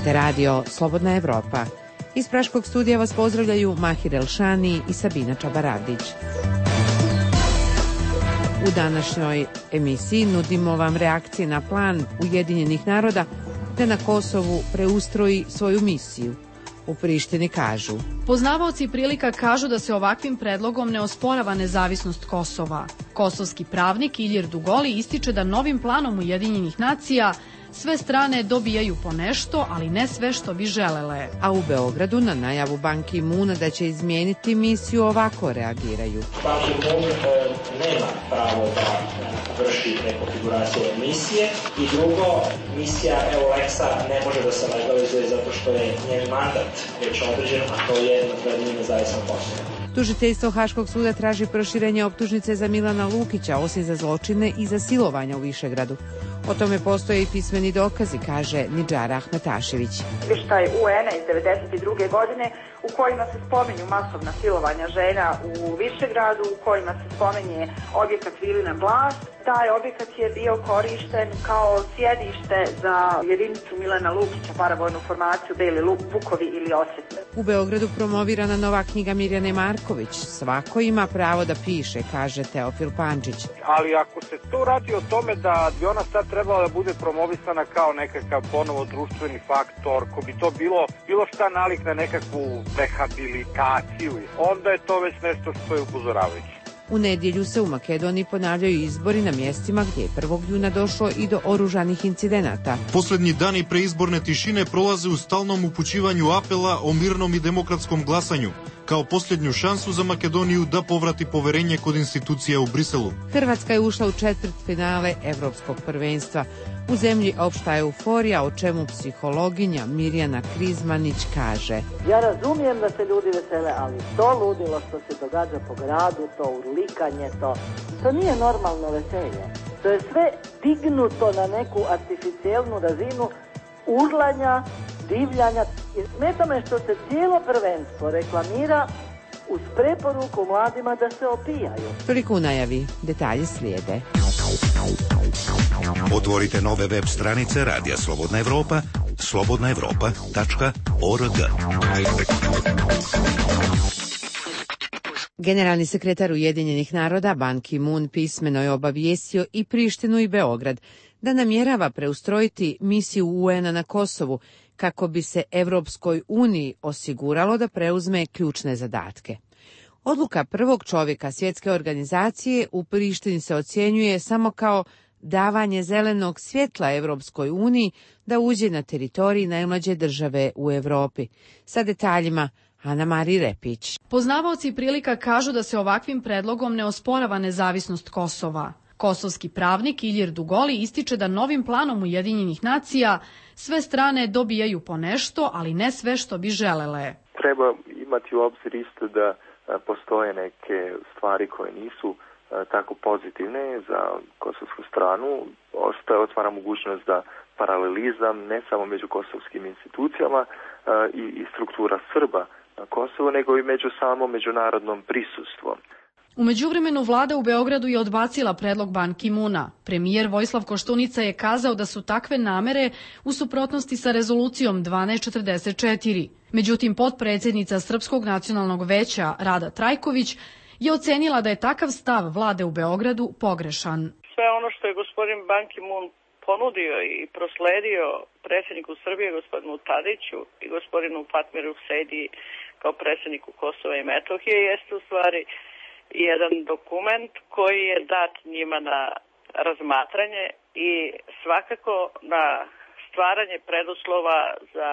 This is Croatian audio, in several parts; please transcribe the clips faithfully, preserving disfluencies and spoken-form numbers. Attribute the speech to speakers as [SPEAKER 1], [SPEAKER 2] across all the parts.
[SPEAKER 1] Slušate radio Slobodna Evropa. Iz Praškog studija vas pozdravljaju Mahir Elšani i Sabina Čabaradić. U današnjoj emisiji nudimo vam reakcije na plan Ujedinjenih naroda da na Kosovu preustroji svoju misiju. U Prištini kažu:
[SPEAKER 2] poznavaoci prilika kažu da se ovakvim predlogom ne osporava nezavisnost Kosova. Kosovski pravnik Ilir Dugoli ističe da novim planom Ujedinjenih nacija sve strane dobijaju po nešto, ali ne sve što bi želele.
[SPEAKER 1] A u Beogradu na najavu Ban Ki-moona da će izmijeniti misiju ovako reagiraju.
[SPEAKER 3] Ban Ki-moon e, nema pravo da vrši rekonfiguraciju misije i drugo, misija EULEX-a ne može da se legalizuje zato što je njen mandat već određen, a to je nadgledanje nezavisnog Kosova.
[SPEAKER 1] Tužiteljstvo Haškog suda traži proširenje optužnice za Milana Lukića, osim za zločine i za silovanja u Višegradu. O tome postoje i pismeni dokazi, kaže Nidžara Ahmetašević.
[SPEAKER 4] Izvještaj U N-a iz devedeset druge godine u kojima se spominju masovna silovanja žena u Višegradu, u kojima se spominje objekat Vilina Blast. Taj objekat je bio korišten kao sjedište za jedinicu Milana Lukića, paravojnu formaciju Beli Vukovi ili Osvetne.
[SPEAKER 1] U Beogradu promovirana nova knjiga Mirjane Marković. Svako ima pravo da piše, kaže Teofil Pančić.
[SPEAKER 5] Ali ako se to radi o tome da bi ona sad trebala da bude promovisana kao nekakav ponovo društveni faktor, ko bi to bilo, bilo šta nalik na nekakvu rehabilitaciju, onda je to već nešto što je upozoravajuće.
[SPEAKER 1] U nedjelju se u Makedoniji ponavljaju izbori na mjestima gdje je prvog juna došlo i do oružanih incidenata.
[SPEAKER 6] Posljednji dani preizborne tišine prolaze u stalnom upućivanju apela o mirnom i demokratskom glasanju, kao posljednju šansu za Makedoniju da povrati poverenje kod institucija u Briselu.
[SPEAKER 1] Hrvatska je ušla u četvrtfinale Evropskog prvenstva. U zemlji opšta euforija, o čemu psihologinja Mirjana Krizmanić kaže:
[SPEAKER 7] ja razumijem da se ljudi vesele, ali to ludilo što se događa po gradu, to urlikanje, to, to nije normalno veselje. To je sve dignuto na neku artificijelnu razinu urlanja, divljanja. I smeta me što se cijelo prvenstvo reklamira uz preporuku mladima da se opijaju.
[SPEAKER 1] Toliko u najavi, detalje slijede.
[SPEAKER 8] Otvorite nove web stranice Radija Slobodna Evropa, slobodna evropa tačka org.
[SPEAKER 1] Generalni sekretar Ujedinjenih naroda Ban Ki-moon pismeno je obavijestio i Prištinu i Beograd da namjerava preustrojiti misiju U N-a na Kosovu kako bi se Evropskoj uniji osiguralo da preuzme ključne zadatke. Odluka prvog čovjeka svjetske organizacije u Prištini se ocjenjuje samo kao davanje zelenog svjetla Evropskoj uniji da uđe na teritoriji najmlađe države u Europi. Sa detaljima Ana Mari Repić.
[SPEAKER 2] Poznavaoci prilika kažu da se ovakvim predlogom ne osporava nezavisnost Kosova. Kosovski pravnik Ilir Dugoli ističe da novim planom Ujedinjenih nacija sve strane dobijaju po nešto, ali ne sve što bi želele.
[SPEAKER 9] Treba imati u obzir isto da postoje neke stvari koje nisu tako pozitivne za kosovsku stranu. Ostaje otvara mogućnost da paralelizam ne samo među kosovskim institucijama i, i struktura Srba na Kosovu, nego i među samom međunarodnom prisustvom.
[SPEAKER 2] U međuvremenu vlada u Beogradu je odbacila predlog Ban Ki-moona. Premijer Vojislav Koštunica je kazao da su takve namere u suprotnosti sa rezolucijom dvanaest četrdeset četiri. Međutim, potpredsjednica Srpskog nacionalnog veća Rada Trajković je ocenila da je takav stav vlade u Beogradu pogrešan.
[SPEAKER 10] Sve ono što je gospodin Ban Ki-moon ponudio i prosledio predsjedniku Srbije, gospodinu Tadiću i gospodinu Fatmiru Sejdi kao predsjedniku Kosova i Metohije, jeste u stvari jedan dokument koji je dat njima na razmatranje i svakako na stvaranje preduslova za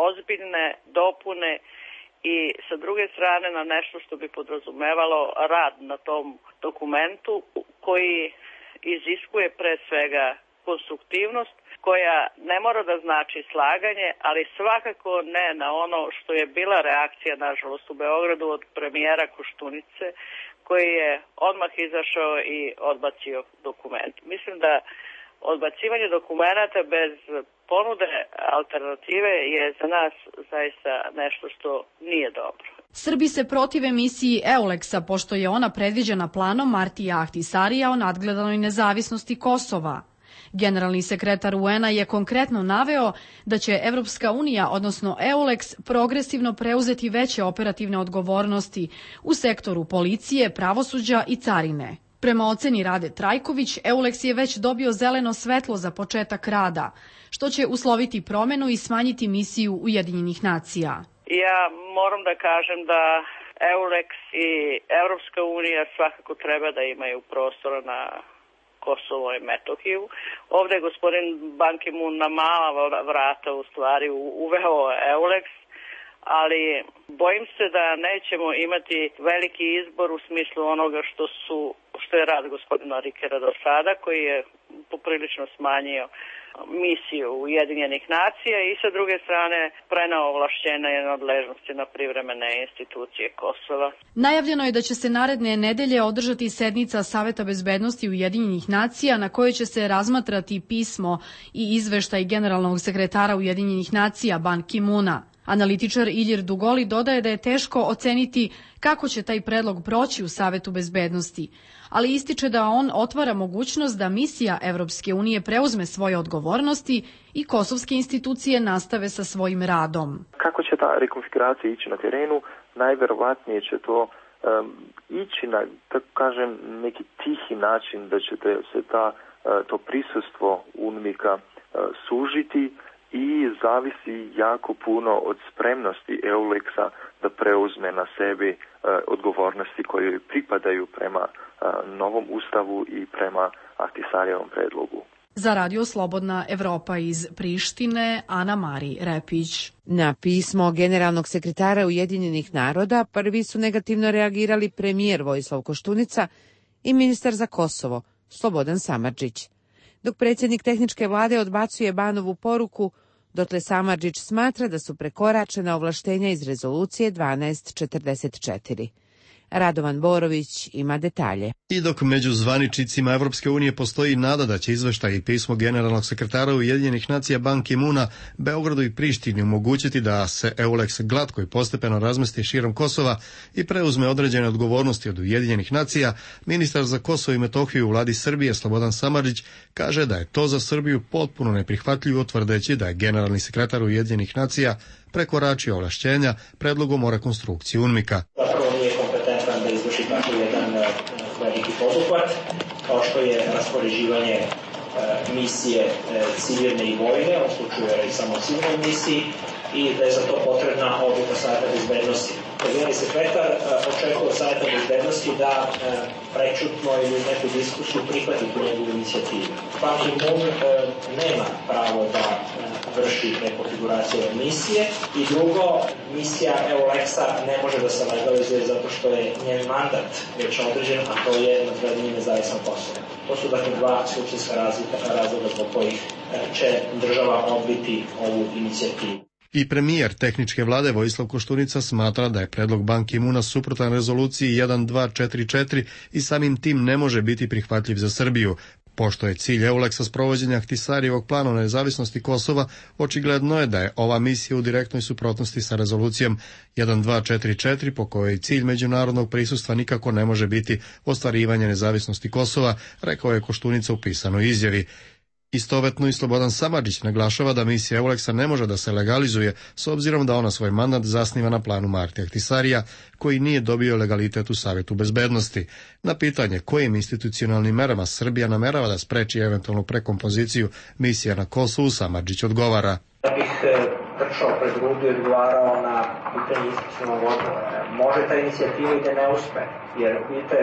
[SPEAKER 10] ozbiljne dopune i sa druge strane na nešto što bi podrazumevalo rad na tom dokumentu koji iziskuje pre svega konstruktivnost, koja ne mora da znači slaganje, ali svakako ne na ono što je bila reakcija, nažalost, u Beogradu od premijera Koštunice, koji je odmah izašao i odbacio dokument. Mislim da odbacivanje dokumenata bez ponude alternative je za nas zaista nešto što nije dobro.
[SPEAKER 2] Srbi se protive misiji EULEX-a, pošto je ona predviđena planom Martija Ahtisarija o nadgledanoj nezavisnosti Kosova. Generalni sekretar U N-a je konkretno naveo da će Evropska unija, odnosno EULEX, progresivno preuzeti veće operativne odgovornosti u sektoru policije, pravosuđa i carine. Prema oceni Rade Trajković, EULEX je već dobio zeleno svetlo za početak rada, što će usloviti promenu i smanjiti misiju Ujedinjenih nacija.
[SPEAKER 10] Ja moram da kažem da EULEX i Evropska unija svakako treba da imaju prostora na Kosovo i Metohiju. Ovde je gospodin Ban Ki-moon na mala vrata u stvari uveo EULEX, ali bojim se da nećemo imati veliki izbor u smislu onoga što su što je rad gospodina Rikera do sada, koji je poprilično smanjio misiju Ujedinjenih nacija i sa druge strane preneo ovlašćenja i nadležnosti na privremene institucije Kosova.
[SPEAKER 2] Najavljeno je da će se naredne nedelje održati sednica Saveta bezbednosti Ujedinjenih nacija na kojoj će se razmatrati pismo i izveštaj generalnog sekretara Ujedinjenih nacija Ban Ki-moona. Analitičar Ilir Dugoli dodaje da je teško oceniti kako će taj predlog proći u Savetu bezbednosti, ali ističe da on otvara mogućnost da misija Evropske unije preuzme svoje odgovornosti i kosovske institucije nastave sa svojim radom.
[SPEAKER 9] Kako će ta rekonfiguracija ići na terenu? Najverovatnije će to um, ići na, tako kažem, neki tihi način da će se ta, to prisustvo UNMIK-a uh, sužiti i zavisi jako puno od spremnosti EULEX-a da preuzme na sebi e, odgovornosti koje pripadaju prema e, novom ustavu i prema Ahtisarijevom predlogu.
[SPEAKER 2] Za Radio Slobodna Evropa iz Prištine, Ana Mari Repić.
[SPEAKER 1] Na pismo generalnog sekretara Ujedinjenih naroda prvi su negativno reagirali premijer Vojislav Koštunica i ministar za Kosovo, Slobodan Samardžić. Dok predsjednik tehničke vlade odbacuje Banovu poruku, dotle Samardžić smatra da su prekoračena ovlaštenja iz rezolucije dvanaest četrdeset četiri. Radovan Borović ima detalje.
[SPEAKER 11] I dok među zvaničnicima Evropske unije postoji nada da će izveštaj i pismo generalnog sekretara Ujedinjenih nacija Ban Ki-moona Beogradu i Prištini omogućiti da se EULEX glatko i postepeno razmesti širom Kosova i preuzme određene odgovornosti od Ujedinjenih nacija, ministar za Kosovo i Metohiju u vladi Srbije Slobodan Samardžić kaže da je to za Srbiju potpuno neprihvatljivo, tvrdeći da je generalni sekretar Ujedinjenih nacija prekoračio ovlašćenja predlogom o rekonstrukciji UNMIK-a.
[SPEAKER 3] Da izvrši tako jedan uh, veliki poduhvat, kao što je raspoređivanje uh, misije uh, civilne i vojne, u slučaju je samo civilnoj misiji, i da je za to potrebna odluka Saveta bezbednosti. Generalni sekretar uh, očekuje od Saveta bezbednosti da uh, prečutno ili u neku diskusiju prihvati tu njegovu inicijativu. Ban Ki-moon uh, nema pravo da uh, vrši rekonfiguraciju misije i drugo, misija EULEX-a ne može da se legalizuje zato što je njen mandat već određen, a to je nadgradnje nezavisno Kosovo. To su dakle dva suštinska razloga zbog kojih će država odbiti ovu inicijativu.
[SPEAKER 11] I premijer tehničke vlade Vojislav Koštunica smatra da je predlog Ban Ki-moona suprotan rezoluciji dvanaest četrdeset četiri i samim tim ne može biti prihvatljiv za Srbiju. Pošto je cilj EULEX-a sprovođenja Ahtisarijevog plana nezavisnosti Kosova, očigledno je da je ova misija u direktnoj suprotnosti sa rezolucijom dvanaest četrdeset četiri, po kojoj cilj međunarodnog prisustva nikako ne može biti ostvarivanje nezavisnosti Kosova, rekao je Koštunica u pisanoj izjavi. Istovetno i Slobodan Samardžić naglašava da misija EULEX-a ne može da se legalizuje s obzirom da ona svoj mandat zasniva na planu Marti Ahtisarija, koji nije dobio legalitet u Savetu bezbednosti. Na pitanje kojim institucionalnim merama Srbija namerava da spreči eventualnu prekompoziciju misija na Kosovu, Samardžić odgovara.
[SPEAKER 3] Da bih trčao pred rudu i odgovarao na pitanje institucionalnog odgovora. Može ta inicijativa i da ne uspe, jer vidite,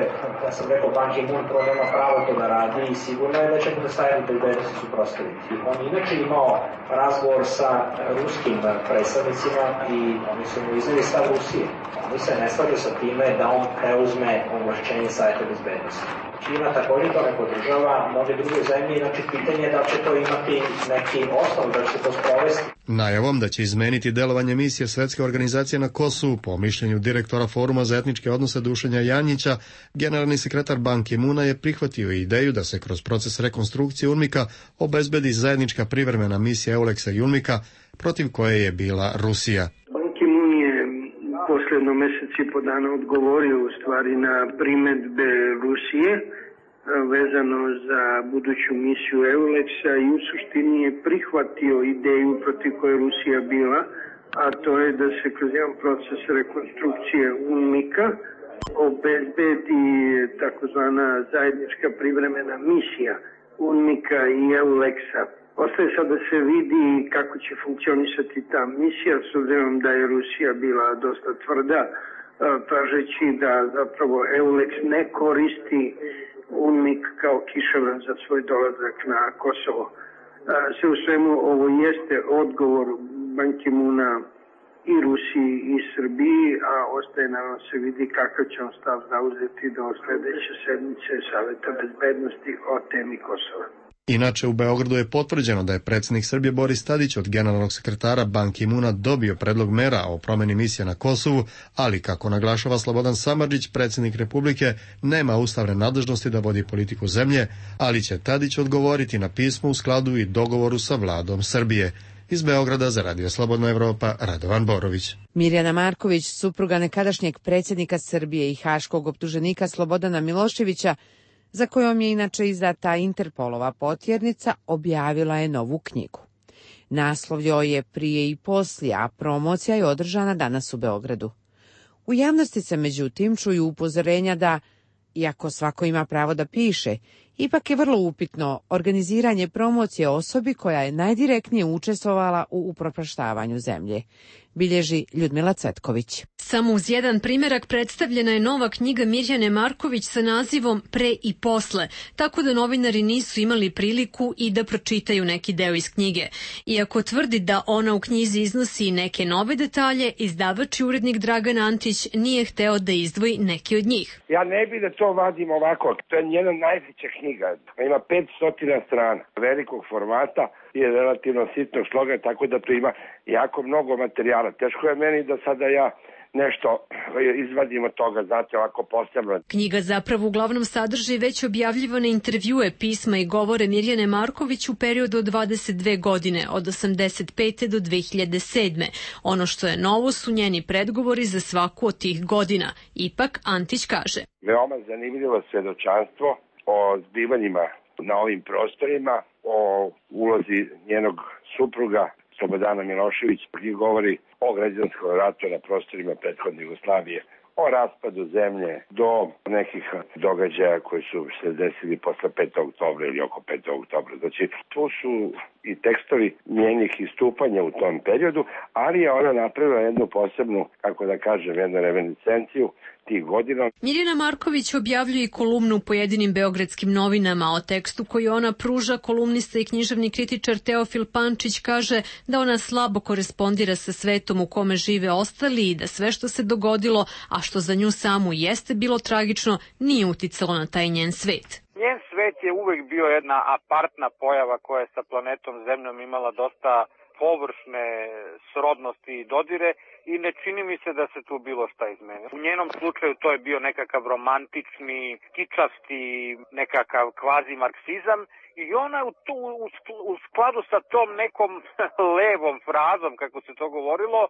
[SPEAKER 3] ja sam rekao, Ban Ki-moon prvo nema pravo to da radi i sigurno je da će da Savetu bezbednosti suprotstaviti. On inače imao razgovor sa ruskim predstavnicima i oni su mu izneli stav Rusije. Oni se ne slažu sa time da on preuzme ovlašćenje Saveta bezbednosti. Kina također to ne podržava, mnoge druge zemlje, znači pitanje je da će to imati neki osnov, da će se to sprovesti.
[SPEAKER 11] Najavom da će izmeniti delovanje misije Svetske organizacije na Kosovu, po mišljenju direktora Foruma za etničke odnose Dušenja Janjića, generalni sekretar Ban Ki-moona je prihvatio ideju da se kroz proces rekonstrukcije UNMIK-a obezbedi zajednička privremena misija EULEX-a i UNMIK-a, protiv koje je bila Rusija.
[SPEAKER 12] Ban Ki-moon je posljedno mjesec i po dana odgovorio u stvari na primjedbe Rusije vezano za buduću misiju EULEX-a i u suštini je prihvatio ideju protiv koje Rusija bila, a to je da se kroz jedan proces rekonstrukcije UNMIK-a obezbedi takozvana zajednička privremena misija UNMIK-a i EULEX-a. Ostaje sad da se vidi kako će funkcionisati ta misija, s obzirom da je Rusija bila dosta tvrda, tražeći da zapravo EULEX ne koristi UNMIK kao kišobran za svoj dolazak na Kosovo. Sve u svemu ovo jeste odgovor Ban Ki-moona i Rusiji i Srbiji, a ostaje naravno se vidi kakav će on stav zauzeti do sledeće sedmice Saveta bezbednosti o temi Kosova.
[SPEAKER 11] Inače, u Beogradu je potvrđeno da je predsjednik Srbije Boris Tadić od generalnog sekretara Ban Ki-moona dobio predlog mera o promeni misije na Kosovu, ali, kako naglašava Slobodan Samardžić, predsjednik Republike nema ustavne nadležnosti da vodi politiku zemlje, ali će Tadić odgovoriti na pismo u skladu i dogovoru sa vladom Srbije. Iz Beograda za Radio Slobodna Evropa, Radovan Borović.
[SPEAKER 1] Mirjana Marković, supruga nekadašnjeg predsjednika Srbije i haškog optuženika Slobodana Miloševića, za kojom je inače izdata Interpolova potjernica, objavila je novu knjigu. Naslov joj je Prije i poslije, a promocija je održana danas u Beogradu. U javnosti se međutim čuju upozorenja da, iako svako ima pravo da piše, ipak je vrlo upitno organiziranje promocije osobi koja je najdirektnije učestvovala u upropaštavanju zemlje, bilježi Ljudmila Cvetković.
[SPEAKER 13] Samo uz jedan primjerak predstavljena je nova knjiga Mirjane Marković sa nazivom Pre i posle, tako da novinari nisu imali priliku i da pročitaju neki deo iz knjige. Iako tvrdi da ona u knjizi iznosi neke nove detalje, izdavač i urednik Dragan Antić nije hteo da izdvoji neki od njih.
[SPEAKER 14] Ja ne bi da to vadim ovako, to je njena najveća knjiga, ima petsto strana, velikog formata i je relativno sitnog sloga, tako da tu ima jako mnogo materijala. Teško je meni da sada ja nešto izvadim od toga, znate, ovako posebno.
[SPEAKER 13] Knjiga zapravo uglavnom sadrži već objavljivane intervjue, pisma i govore Mirjane Marković u periodu od dvadeset dve godine, od osamdeset pete do dve hiljade sedme. Ono što je novo su njeni predgovori za svaku od tih godina. Ipak, Antić kaže.
[SPEAKER 14] Veoma zanimljivo svedočanstvo o zbivanjima na ovim prostorima, o ulozi njenog supruga Slobodana Milošević, koji govori o građanskom ratu na prostorima prethodne Jugoslavije, o raspadu zemlje do nekih događaja koji su se desili posle petog oktobra ili oko petog oktobra. Znači, tu su i tekstovi njenih istupanja u tom periodu, ali je ona napravila jednu posebnu, kako da kažem, jednu reminiscenciju tih godina.
[SPEAKER 13] Mirjana Marković objavljuje i kolumnu u pojedinim beogradskim novinama. O tekstu koji ona pruža, kolumnista i književni kritičar Teofil Pančić kaže da ona slabo korespondira sa svetom u kome žive ostali i da sve što se dogodilo, a što za nju samu jeste bilo tragično, nije uticalo na taj njen svet.
[SPEAKER 5] Njen svet je uvek bio jedna apartna pojava koja je sa planetom Zemljom imala dosta površne srodnosti i dodire i ne čini mi se da se tu bilo šta izmenilo. U njenom slučaju to je bio nekakav romantični, kičasti, nekakav kvazi marksizam i ona u, tu, u skladu sa tom nekom levom frazom, kako se to govorilo,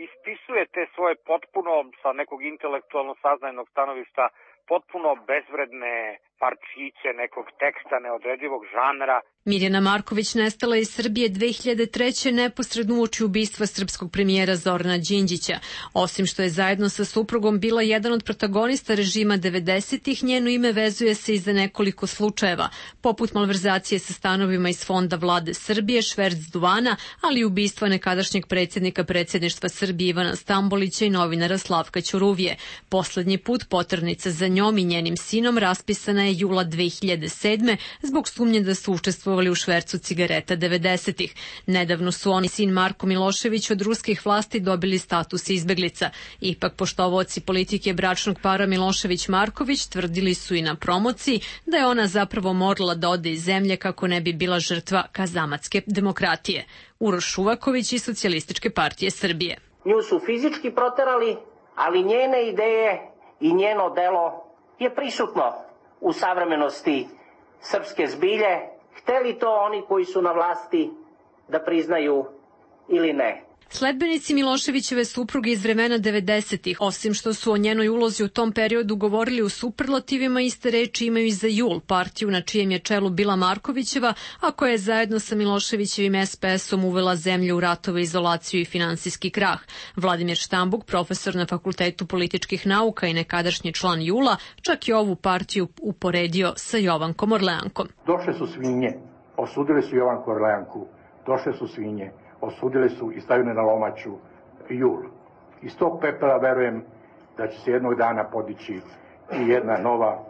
[SPEAKER 5] ispisuje te svoje potpuno, sa nekog intelektualno saznajnog stanovišta, potpuno bezvredne parčiće nekog teksta neodredivog žanra.
[SPEAKER 13] Mirjana Marković nestala iz Srbije dve hiljade treće. neposredno uoči ubistva srpskog premijera Zorana Đinđića. Osim što je zajedno sa suprugom bila jedan od protagonista režima devedesetih, njeno ime vezuje se i za nekoliko slučajeva, poput malverzacije sa stanovima iz fonda vlade Srbije, šverc duvana, ali i ubistva nekadašnjeg predsjednika predsjedništva Srbije Ivana Stambolića i novinara Slavka Ćuruvije. Poslednji put poternica za njom i njenim sinom raspisana je jula dve hiljade sedme zbog sumnje da su učestvovali u švercu cigareta devedesetih. Nedavno su oni sin Marko Milošević od ruskih vlasti dobili status izbeglica. Ipak poštovaoci politike bračnog para Milošević-Marković tvrdili su i na promociji da je ona zapravo morala da ode iz zemlje kako ne bi bila žrtva kazamatske demokratije. Uroš Šuvaković iz Socijalističke partije Srbije.
[SPEAKER 15] Nju su fizički proterali, ali njene ideje i njeno delo je prisutno u savremenosti srpske zbilje, hteli to oni koji su na vlasti da priznaju ili ne.
[SPEAKER 13] Sledbenici Miloševićeve supruge iz vremena devedesetih, osim što su o njenoj ulozi u tom periodu govorili u superlativima, iste reči imaju i za JUL, partiju na čijem je čelu bila Markovićeva, a koja je zajedno sa Miloševićevim es pe esom uvela zemlju u ratove, izolaciju i finansijski krah. Vladimir Štambuk, profesor na Fakultetu političkih nauka i nekadašnji član JUL-a, čak i ovu partiju uporedio sa Jovankom Orleankom.
[SPEAKER 16] Došle su svinje, osudili su Jovanku Orleanku, došle su svinje, osudili su i stavili na lomaču JUL. Iz tog pepela verujem da će se jednog dana podići i jedna nova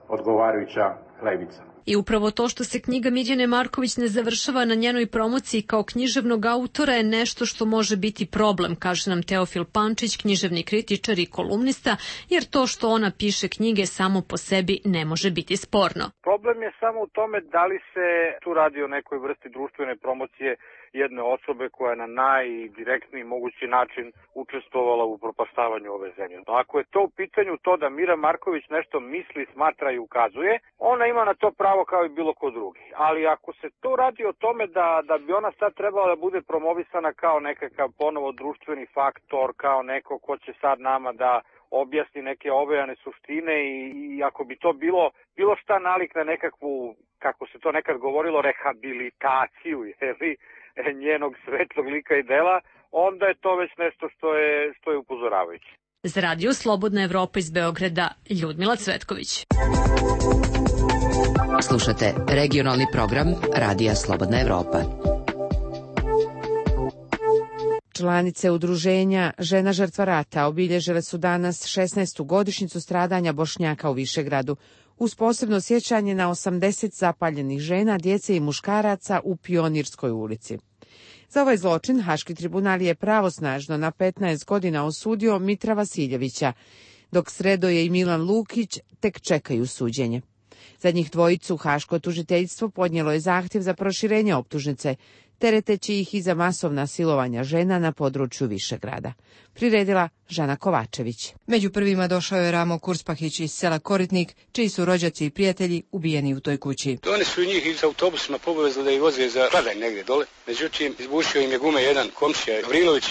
[SPEAKER 16] odgovarajuća levica.
[SPEAKER 13] I upravo to što se knjiga Mirjane Marković ne završava na njenoj promociji kao književnog autora je nešto što može biti problem, kaže nam Teofil Pančić, književni kritičar i kolumnista, jer to što ona piše knjige samo po sebi ne može biti sporno.
[SPEAKER 5] Problem je samo u tome da li se tu radi o nekoj vrsti društvene promocije jedne osobe koja je na najdirektniji mogući način učestvovala u propaštavanju ove zemlje. Ako je to u pitanju to da Mira Marković nešto misli, smatra i ukazuje, ona ima na to pravo kao i bilo ko drugi. Ali ako se to radi o tome da, da bi ona sad trebala da bude promovisana kao nekakav ponovo društveni faktor, kao neko ko će sad nama da objasni neke ovejane suštine i, i ako bi to bilo bilo šta nalik na nekakvu, kako se to nekad govorilo, rehabilitaciju, jeli, njenog svetlog lika i dela, onda je to već nešto što je, što je upozoravajuće.
[SPEAKER 13] Za radio Slobodna Evropa iz Beograda, Ljudmila Cvetković.
[SPEAKER 17] Slušate regionalni program Radija Slobodna Evropa.
[SPEAKER 1] Članice udruženja Žena žrtva rata obilježile su danas šesnaestu godišnjicu stradanja Bošnjaka u Višegradu, uz posebno sjećanje na osamdeset zapaljenih žena, djece i muškaraca u Pionirskoj ulici. Za ovaj zločin Haški tribunal je pravosnažno na petnaest godina osudio Mitra Vasiljevića, dok Sredoje i Milan Lukić tek čekaju suđenje. Za njih dvojicu Haško tužiteljstvo podnijelo je zahtjev za proširenje optužnice, tereteći ih i za masovna silovanja žena na području Višegrada. Priredila Žana Kovačević.
[SPEAKER 18] Među prvima došao je Ramo Kurspahić iz sela Koritnik, čiji su rođaci i prijatelji ubijeni u toj kući.
[SPEAKER 19] Oni su njih iz autobusima povezali da ih voze za Kladanj negdje dole. Međutim, izbušio im je gume jedan komšija Gavrilović,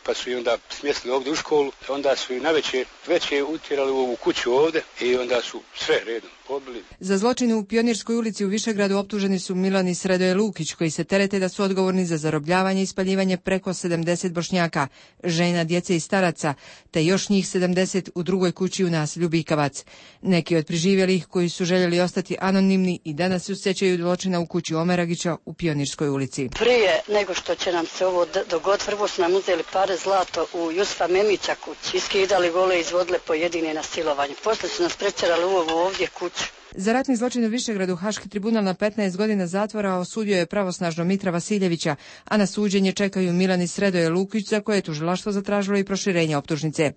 [SPEAKER 19] pa su i onda smjestili ovdje u školu. Onda su i najveće veće utjerali u ovu kuću ovdje i onda su sve redom pobili.
[SPEAKER 18] Za zločine u Pionirskoj ulici u Višegradu optuženi su Milan i Sredoje Lukić, koji se terete da su odgovorni za zarobljavanje i spaljivanje preko sedamdeset Bošnjaka, žena, djece i staraca, te još njih sedamdeset u drugoj kući u naselju Bikavac. Neki od preživjelih koji su željeli ostati anonimni i danas se sjećaju zločina u kući Omeragića u Pionirskoj ulici.
[SPEAKER 20] Prije nego što će nam se ovo dogoditi, prvo su nam uzeli pare zlato u Jusufa Memića kući, iskidali gole i izvodile pojedine na silovanje. Posle su nas prečerali u ovu ovdje kuću.
[SPEAKER 18] Za ratni zločin u Višegradu Haški tribunal na petnaest godina zatvora osudio je pravosnažno Mitra Vasiljevića, a na suđenje čekaju Milan i Sredoje Lukić, za koje je tužilaštvo zatražilo i proširenje optužnice.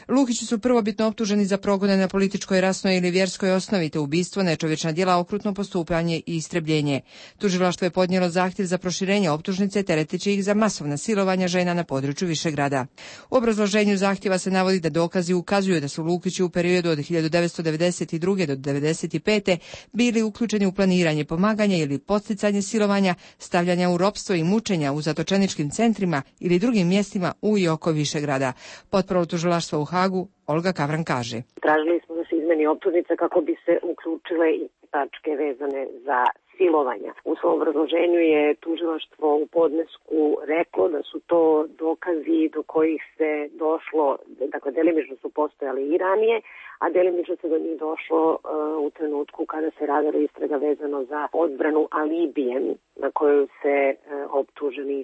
[SPEAKER 18] Lukići su prvobitno optuženi za progone na političkoj, rasnoj ili vjerskoj osnovi, te ubistvo, nečovječna djela, okrutno postupanje i istrebljenje. Tužilaštvo je podnijelo zahtjev za proširenje optužnice, tereteći ih za masovna silovanja žena na području Višegrada. U obrazloženju zahtjeva se navodi da dokazi ukazuju da su Lukići u periodu od hiljadu devetsto devedeset druge do devedeset pete bili uključeni u planiranje, pomaganje ili podsticanje silovanja, stavljanja u ropstvo i mučenja u zatočeničkim centrima ili drugim mjestima u i oko Višegrada. Potporu tužilaštva u Hagu Olga Kavran kaže.
[SPEAKER 21] Tražili smo da se izmeni optužnica kako bi se uključile i tačke vezane za silovanja. U svom obrazloženju je tužilaštvo u podnesku reklo da su to dokazi do kojih se došlo, dakle delimično su postojali i ranije, a delimično se do njih došlo uh, u trenutku kada se radila istraga vezano za odbranu alibijem na koju se uh, optuženi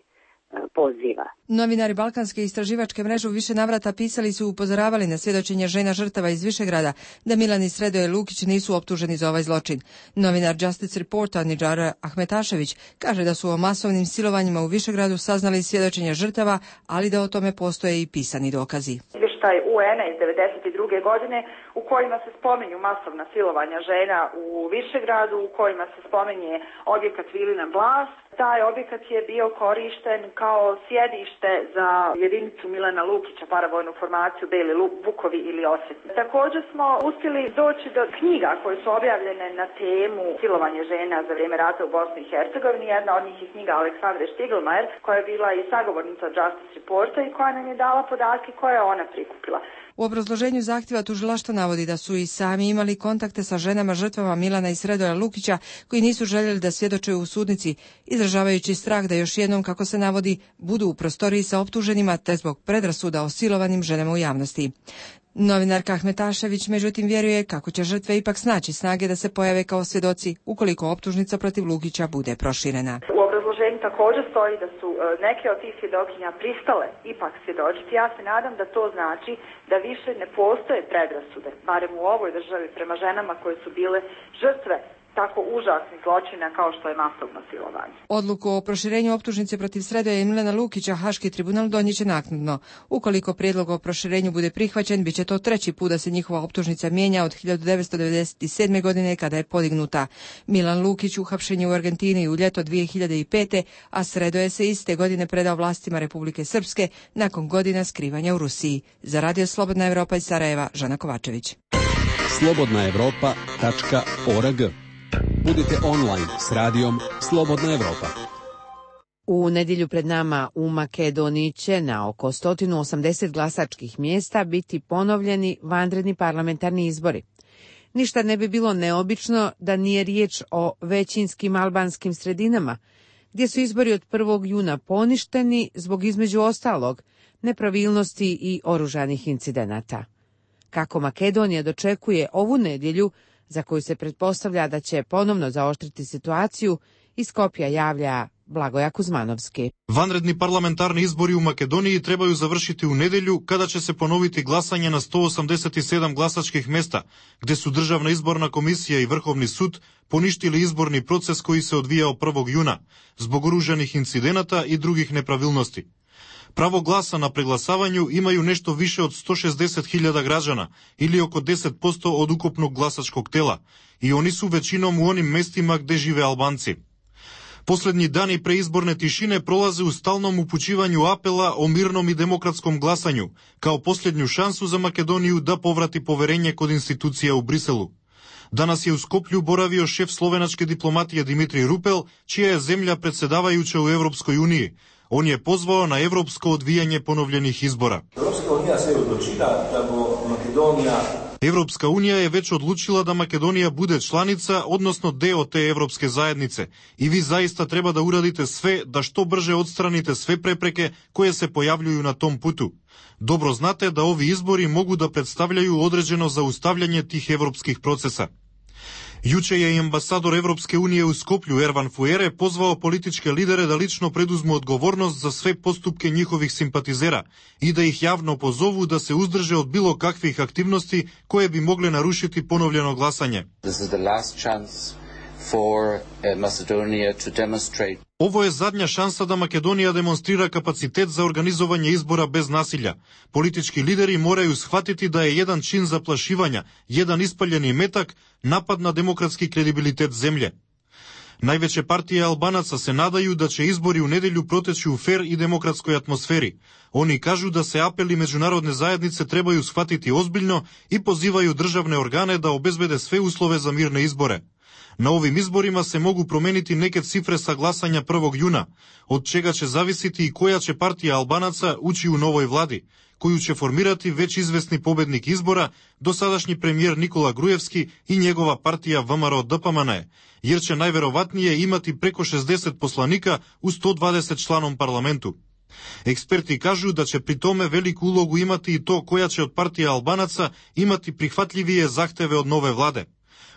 [SPEAKER 21] poziva.
[SPEAKER 18] Novinari Balkanske istraživačke mreže u više navrata pisali su i upozoravali na svjedočenje žena žrtava iz Višegrada da Milan i Sredoje Lukić nisu optuženi za ovaj zločin. Novinar Justice Reporta Nidžara Ahmetašević kaže da su o masovnim silovanjima u Višegradu saznali svjedočenje žrtava, ali da o tome postoje i pisani dokazi.
[SPEAKER 4] Izvještaj U En-a iz devedeset druge godine u kojima se spominju masovna silovanja žena u Višegradu, u kojima se spominje objekat Vilina Blas, Taj objekat je bio korišten kao sjedište za jedinicu Milana Lukića, paravojnu formaciju Beli Vukovi ili Osvetni. Također smo uspjeli doći do knjiga koje su objavljene na temu silovanje žena za vrijeme rata u Bosni i Hercegovini. Jedna od njih je knjiga Aleksandre Štiglmajer, koja je bila i sagovornica Justice Reporta i koja nam je dala podatke koje je ona prikupila.
[SPEAKER 18] U obrazloženju zahtjeva tužilaštvo navodi da su i sami imali kontakte sa ženama žrtvama Milana i Sredoja Lukića koji nisu željeli da svjedoče u sudnici, izražavajući strah da još jednom, kako se navodi, budu u prostoriji sa optuženima te zbog predrasuda o silovanim ženama u javnosti. Novinarka Ahmetašević međutim vjeruje kako će žrtve ipak snaći snage da se pojave kao svjedoci ukoliko optužnica protiv Lukića bude proširena.
[SPEAKER 4] U obrazloženju također stoji da su neke od tih svjedokinja pristale ipak svjedočiti. Ja se nadam da to znači da više ne postoje predrasude, barem u ovoj državi, prema ženama koje su bile žrtve tako užasnih zločina kao što je masovno silovanje.
[SPEAKER 18] Odluku o proširenju optužnice protiv Sredoja i Milana Lukića Haški tribunal donijet će naknadno. Ukoliko prijedlog o proširenju bude prihvaćen, bit će to treći put da se njihova optužnica mijenja od hiljadu devetsto devedeset sedme. godine kada je podignuta. Milan Lukić uhapšen je u Argentini u ljeto dvije hiljade pete. a Sredoje se iste godine predao vlastima Republike Srpske nakon godina skrivanja u Rusiji. Za Radio Slobodna Evropa iz Sarajeva, Žana Kovačević.
[SPEAKER 6] slobodna evropa tačka org. Budite online s radijom Slobodna Evropa.
[SPEAKER 1] U nedjelju pred nama u Makedoniji će na oko sto osamdeset glasačkih mjesta biti ponovljeni vanredni parlamentarni izbori. Ništa ne bi bilo neobično da nije riječ o većinskim albanskim sredinama, gdje su izbori od prvog juna poništeni zbog, između ostalog, nepravilnosti i oružanih incidenata. Kako Makedonija dočekuje ovu nedjelju, za koju se pretpostavlja da će ponovno zaoštriti situaciju, iz Skopja javlja Blagoja Kuzmanovski.
[SPEAKER 22] Vanredni parlamentarni izbori u Makedoniji trebaju završiti u nedjelju, kada će se ponoviti glasanje na sto osamdeset sedam glasačkih mjesta, gdje su Državna izborna komisija i Vrhovni sud poništili izborni proces koji se odvijao prvog juna, zbog oružanih incidenata i drugih nepravilnosti. Pravo glasa na preglasavanju imaju nešto više od sto šezdeset hiljada građana ili oko deset posto od ukupnog glasačkog tela i oni su većinom u onim mestima gdje žive Albanci. Posljednji dani preizborne tišine prolaze u stalnom upućivanju apela o mirnom i demokratskom glasanju, kao posljednju šansu za Makedoniju da povrati poverenje kod institucija u Briselu. Danas je u Skoplju boravio šef slovenačke diplomatije Dimitrij Rupel, čija je zemlja predsjedavajuća u Evropskoj uniji. On je pozvao na evropsko odvijanje ponovljenih izbora.
[SPEAKER 23] Evropska unija se je odlučila da bo Makedonija
[SPEAKER 22] Evropska unija je već odlučila da Makedonija bude članica, odnosno deo te evropske zajednice. I vi zaista treba da uradite sve da što brže odstranite sve prepreke koje se pojavljuju na tom putu. Dobro znate da ovi izbori mogu da predstavljaju određeno zaustavljanje tih evropskih procesa. Juče je i ambasador Evropske unije u Skoplju Ervan Fuere pozvao političke lidere da lično preduzmu odgovornost za sve postupke njihovih simpatizera i da ih javno pozovu da se uzdrže od bilo kakvih aktivnosti koje bi mogle narušiti ponovljeno glasanje.
[SPEAKER 24] This is the last chance for Macedonia to demonstrate.
[SPEAKER 22] Ovo je zadnja šansa da Makedonija demonstrira kapacitet za organizovanje izbora bez nasilja. Politički lideri moraju shvatiti da je jedan čin zaplašivanja, jedan ispaljeni metak, napad na demokratski kredibilitet zemlje. Najveće partije Albanaca se nadaju da će izbori u nedjelju proteći u fer i demokratskoj atmosferi. Oni kažu da se apeli međunarodne zajednice trebaju shvatiti ozbiljno i pozivaju državne organe da obezbede sve uslove za mirne izbore. Na ovim izborima se mogu promeniti neke cifre sa glasanja prvog juna, od čega će zavisiti i koja će partija Albanaca ući u novoj vladi, koju će formirati već izvesni pobednik izbora, dosadašnji premijer Nikola Grujevski i njegova partija V M R O D P M N E, jer će najverovatnije imati preko šezdeset poslanika u sto dvadeset članom parlamentu. Eksperti kažu da će pri tome veliku ulogu imati i to koja će od partija Albanaca imati prihvatljivije zahteve od nove vlade.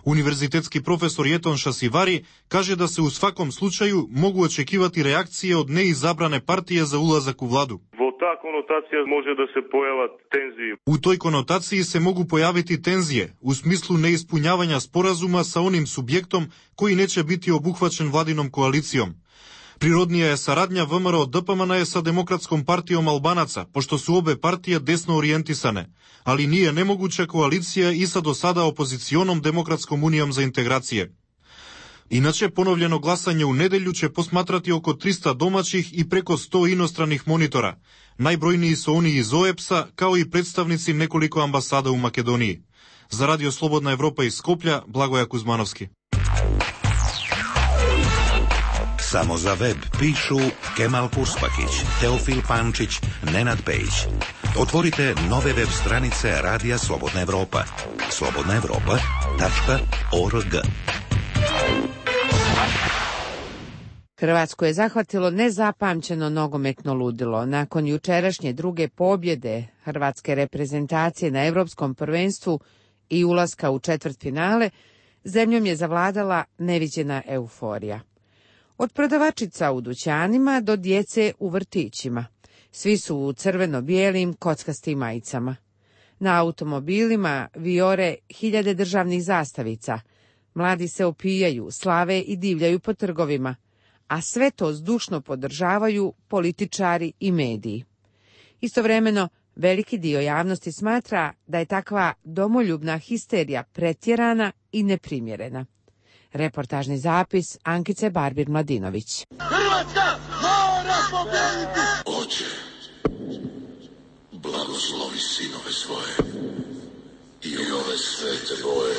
[SPEAKER 22] Univerzitetski profesor Jeton Šasivari kaže da se u svakom slučaju mogu očekivati reakcije od neizabrane partije za ulazak u vladu.
[SPEAKER 25] Ta konotacija može da se pojava tenzije.
[SPEAKER 22] U toj konotaciji se mogu pojaviti tenzije, u smislu neispunjavanja sporazuma sa onim subjektom koji neće biti obuhvaćen vladinom koalicijom. Prirodnija je saradnja V M R O D P M N E sa Demokratskom partijom Albanaca, pošto su obe partije desno orijentisane, ali nije nemoguća koalicija i sa do sada opozicionom Demokratskom unijom za integracije. Иначе, поновljeno гласање у неделју ќе посматрати око триста домаќих и преко сто иностраних монитора. Најбројнiji се они из О Е Б С-а, као и представници неколико амбасада у Македонiji. За Радио Слободна Европа из Скопља, Благоја Кузмановски.
[SPEAKER 2] Samo za web pišu Kemal Purspakić, Teofil Pančić, Nenad Pejić. Otvorite nove web stranice Radija Slobodna Evropa. slobodna evropa tačka org.
[SPEAKER 1] Hrvatsku je zahvatilo nezapamćeno nogometno ludilo. Nakon jučerašnje druge pobjede hrvatske reprezentacije na Evropskom prvenstvu i ulaska u četvrtfinale, zemljom je zavladala neviđena euforija. Od prodavačica u dućanima do djece u vrtićima. Svi su u crveno-bijelim kockastim majicama. Na automobilima vijore hiljade državnih zastavica. Mladi se opijaju, slave i divljaju po trgovima. A sve to zdušno podržavaju političari i mediji. Istovremeno, veliki dio javnosti smatra da je takva domoljubna histerija pretjerana i neprimjerena. Reportažni zapis Ankice Barbir-Mladinović.
[SPEAKER 7] Hrvatska mora pobjediti! Oče, blagoslovi sinove svoje i ove svete boje,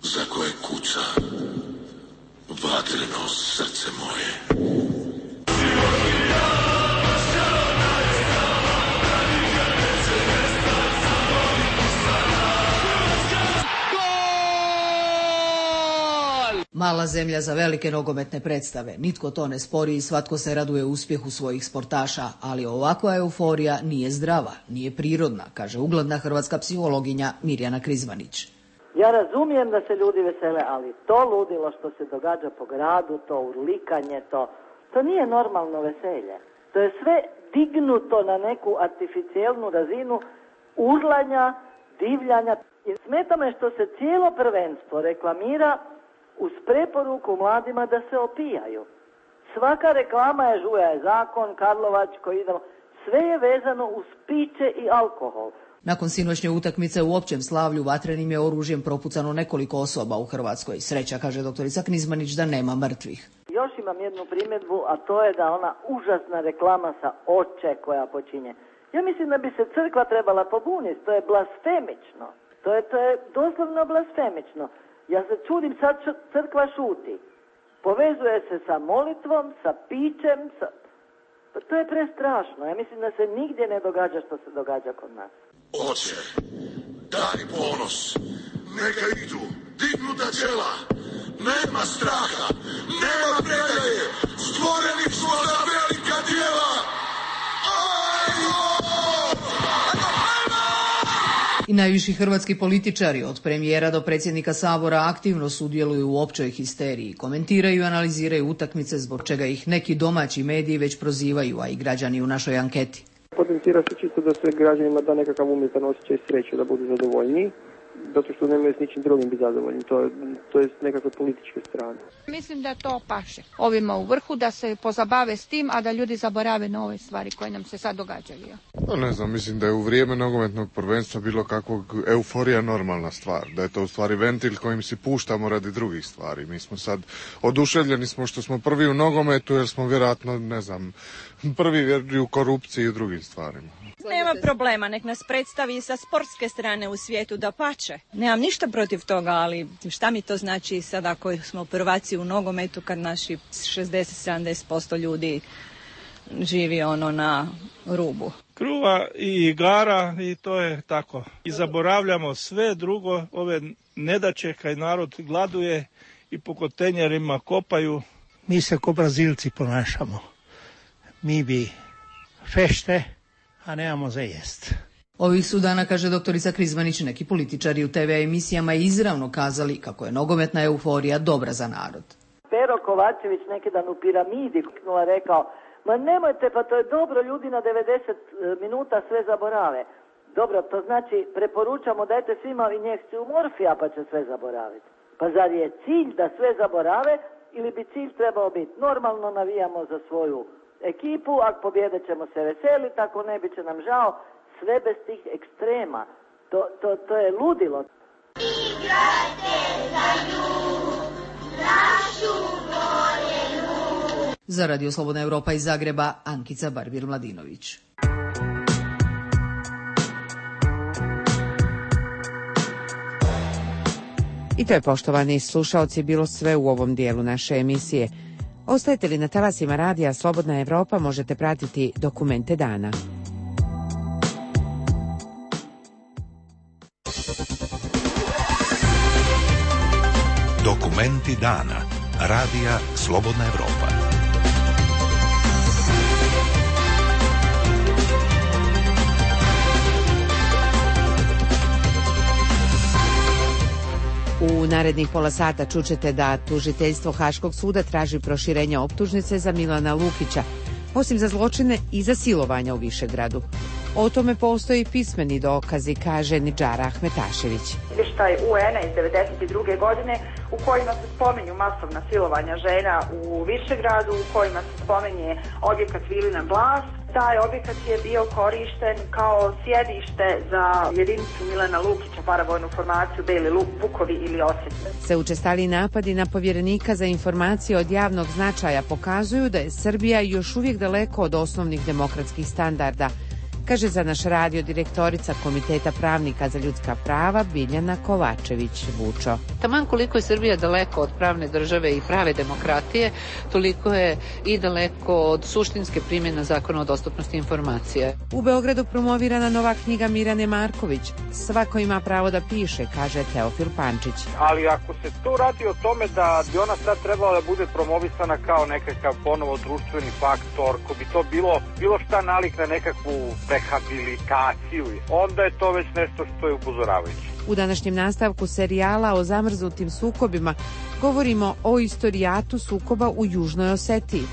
[SPEAKER 7] za koje kuca vatreno srce moje.
[SPEAKER 8] Mala zemlja za velike nogometne predstave. Nitko to ne spori i svatko se raduje uspjehu svojih sportaša, ali ovakva euforija nije zdrava, nije prirodna, kaže ugledna hrvatska psihologinja Mirjana Krizmanić.
[SPEAKER 9] Ja razumijem da se ljudi vesele, ali to ludilo što se događa po gradu, to urlikanje, to, to nije normalno veselje. To je sve dignuto na neku artificijelnu razinu urlanja, divljanja. I smeta me što se cijelo prvenstvo reklamira uz preporuku mladima da se opijaju. Svaka reklama je žuja je zakon, Karlovačko, idemo. Sve je vezano uz piće i alkohol.
[SPEAKER 8] Nakon sinoćnje utakmice u općem slavlju vatrenim je oružjem propucano nekoliko osoba u Hrvatskoj. Sreća, kaže doktorica Knizmanić, da nema mrtvih.
[SPEAKER 9] Još imam jednu primjedbu, a to je da ona užasna reklama sa oče koja počinje. Ja mislim da bi se crkva trebala pobuniti, to je blasfemično. To je, to je doslovno blasfemično. Ja se čudim, sad crkva šuti. Povezuje se sa molitvom, sa pićem, sa... to je prestrašno. Ja mislim da se nigdje ne događa što se događa kod nas.
[SPEAKER 7] Oče, daj ponos, neka idu, dignuta čela, nema straha, nema predaje, stvoreni smo za velika djela.
[SPEAKER 8] I najviši hrvatski političari, od premijera do predsjednika Sabora, aktivno sudjeluju u općoj histeriji, komentiraju i analiziraju utakmice, zbog čega ih neki domaći mediji već prozivaju, a i građani u našoj anketi.
[SPEAKER 10] Potencira se čisto da se građanima da nekakav umjetan osjećaj sreće, da budu zadovoljniji, zato što nemaju s ničim drugim biti zadovoljni, to je, to je s nekakve političke strane.
[SPEAKER 26] Mislim da to paše ovima u vrhu, da se pozabave s tim, a da ljudi zaborave na ove stvari koje nam se sad događaju.
[SPEAKER 27] No, ne znam, mislim da je u vrijeme nogometnog prvenstva bilo kakvog euforija normalna stvar, da je to u stvari ventil kojim si puštamo radi drugih stvari. Mi smo sad oduševljeni smo što smo prvi u nogometu, jer smo vjerojatno, ne znam, prvi u korupciji i u drugim stvarima.
[SPEAKER 28] Nema problema, nek nas predstavi sa sportske strane u svijetu, da pače. Nemam ništa protiv toga, ali šta mi to znači sad ako smo prvaci u nogometu kad naši šezdeset do sedamdeset posto ljudi živi ono na rubu.
[SPEAKER 29] Kruva i igara i to je tako. I zaboravljamo sve drugo, ove nedaće kaj narod gladuje i po kontejnerima kopaju.
[SPEAKER 30] Mi se ko Brazilci ponašamo. Mi bi fešte, a nemamo za jest.
[SPEAKER 8] Ovih su dana, kaže doktorica Krizmanić, neki političari u te ve emisijama izravno kazali kako je nogometna euforija dobra za narod.
[SPEAKER 9] Pero Kovačević neki dan u Piramidi kuknula rekao, ma nemojte, pa to je dobro, ljudi na devedeset minuta sve zaborave. Dobro, to znači preporučamo dajte svima injekciju morfija pa će sve zaboraviti. Pa zar je cilj da sve zaborave ili bi cilj trebao biti normalno navijamo za svoju ekipu, ako pobjede ćemo se veseliti, ako ne bit će nam žao, sve bez tih ekstrema. To, to, to je ludilo.
[SPEAKER 7] Igrajte za nju,
[SPEAKER 8] Za Radio Slobodna Evropa iz Zagreba, Ankica Barbir-Mladinović.
[SPEAKER 1] I to je, poštovani slušaoci, bilo sve u ovom dijelu naše emisije. Ostajete li na talasima radija Slobodna Evropa, možete pratiti Dokumente dana.
[SPEAKER 2] Dokumenti dana. Radija Slobodna Evropa.
[SPEAKER 1] U narednih pola sata čućete da tužiteljstvo Haškog suda traži proširenje optužnice za Milana Lukića, osim za zločine i za silovanja u Višegradu. O tome postoji pismeni dokazi, kaže Nidžara Ahmetašević.
[SPEAKER 4] Izvještaj U N-a iz devedeset druge godine u kojima se spominju masovna silovanja žena u Višegradu, u kojima se spominje objekat Vilina Blas. Taj objekat je bio korišten kao sjedište za jedinicu Milana Lukića, paravojnu formaciju Beli Vukovi ili Osjetne.
[SPEAKER 1] Se učestali napadi na povjerenika za informacije od javnog značaja pokazuju da je Srbija još uvijek daleko od osnovnih demokratskih standarda, kaže za naš radio direktorica Komiteta pravnika za ljudska prava Biljana Kovačević-Vučo.
[SPEAKER 3] Taman koliko je Srbija daleko od pravne države i prave demokratije, toliko je i daleko od suštinske primjene zakona o dostupnosti informacije.
[SPEAKER 1] U Beogradu promovirana nova knjiga Mirjane Marković. Svako ima pravo da piše, kaže Teofil Pančić.
[SPEAKER 5] Ali ako se tu radi o tome da bi ona sad trebala da bude promovisana kao nekakav ponovo društveni faktor, ko bi to bilo, bilo šta nalik na nekakvu rehabilitaciju, onda je to već nešto što je upozoravajuće.
[SPEAKER 1] U današnjem nastavku serijala o zamrznutim sukobima govorimo o istorijatu sukoba u Južnoj Osetiji.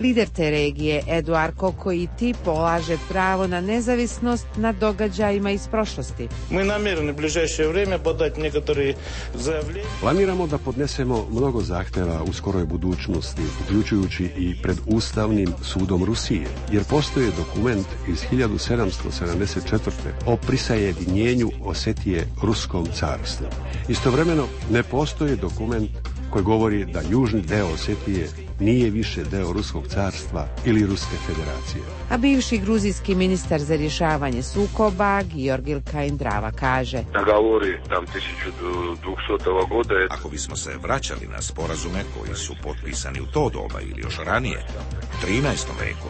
[SPEAKER 1] Lider te regije, Eduard Kokoiti, polaže pravo na nezavisnost nad događajima iz prošlosti.
[SPEAKER 11] Mi namjerno u bližeće vrijeme podati nekatore zavljenje.
[SPEAKER 6] Planiramo da podnesemo mnogo zahteva u skoroj budućnosti, uključujući i pred Ustavnim sudom Rusije, jer postoji dokument iz hiljadu sedamsto sedamdeset četvrte. o prisajedinjenju Osetije Ruskom carstvu. Istovremeno ne postoji dokument koji govori da južni deo Osetije nije više deo Ruskog carstva ili Ruske federacije.
[SPEAKER 1] A bivši gruzijski ministar za rješavanje sukoba, Georgil Kaindrava, kaže:
[SPEAKER 2] Ako bismo se vraćali na sporazume koji su potpisani u to doba ili još ranije, u trinaestom veku,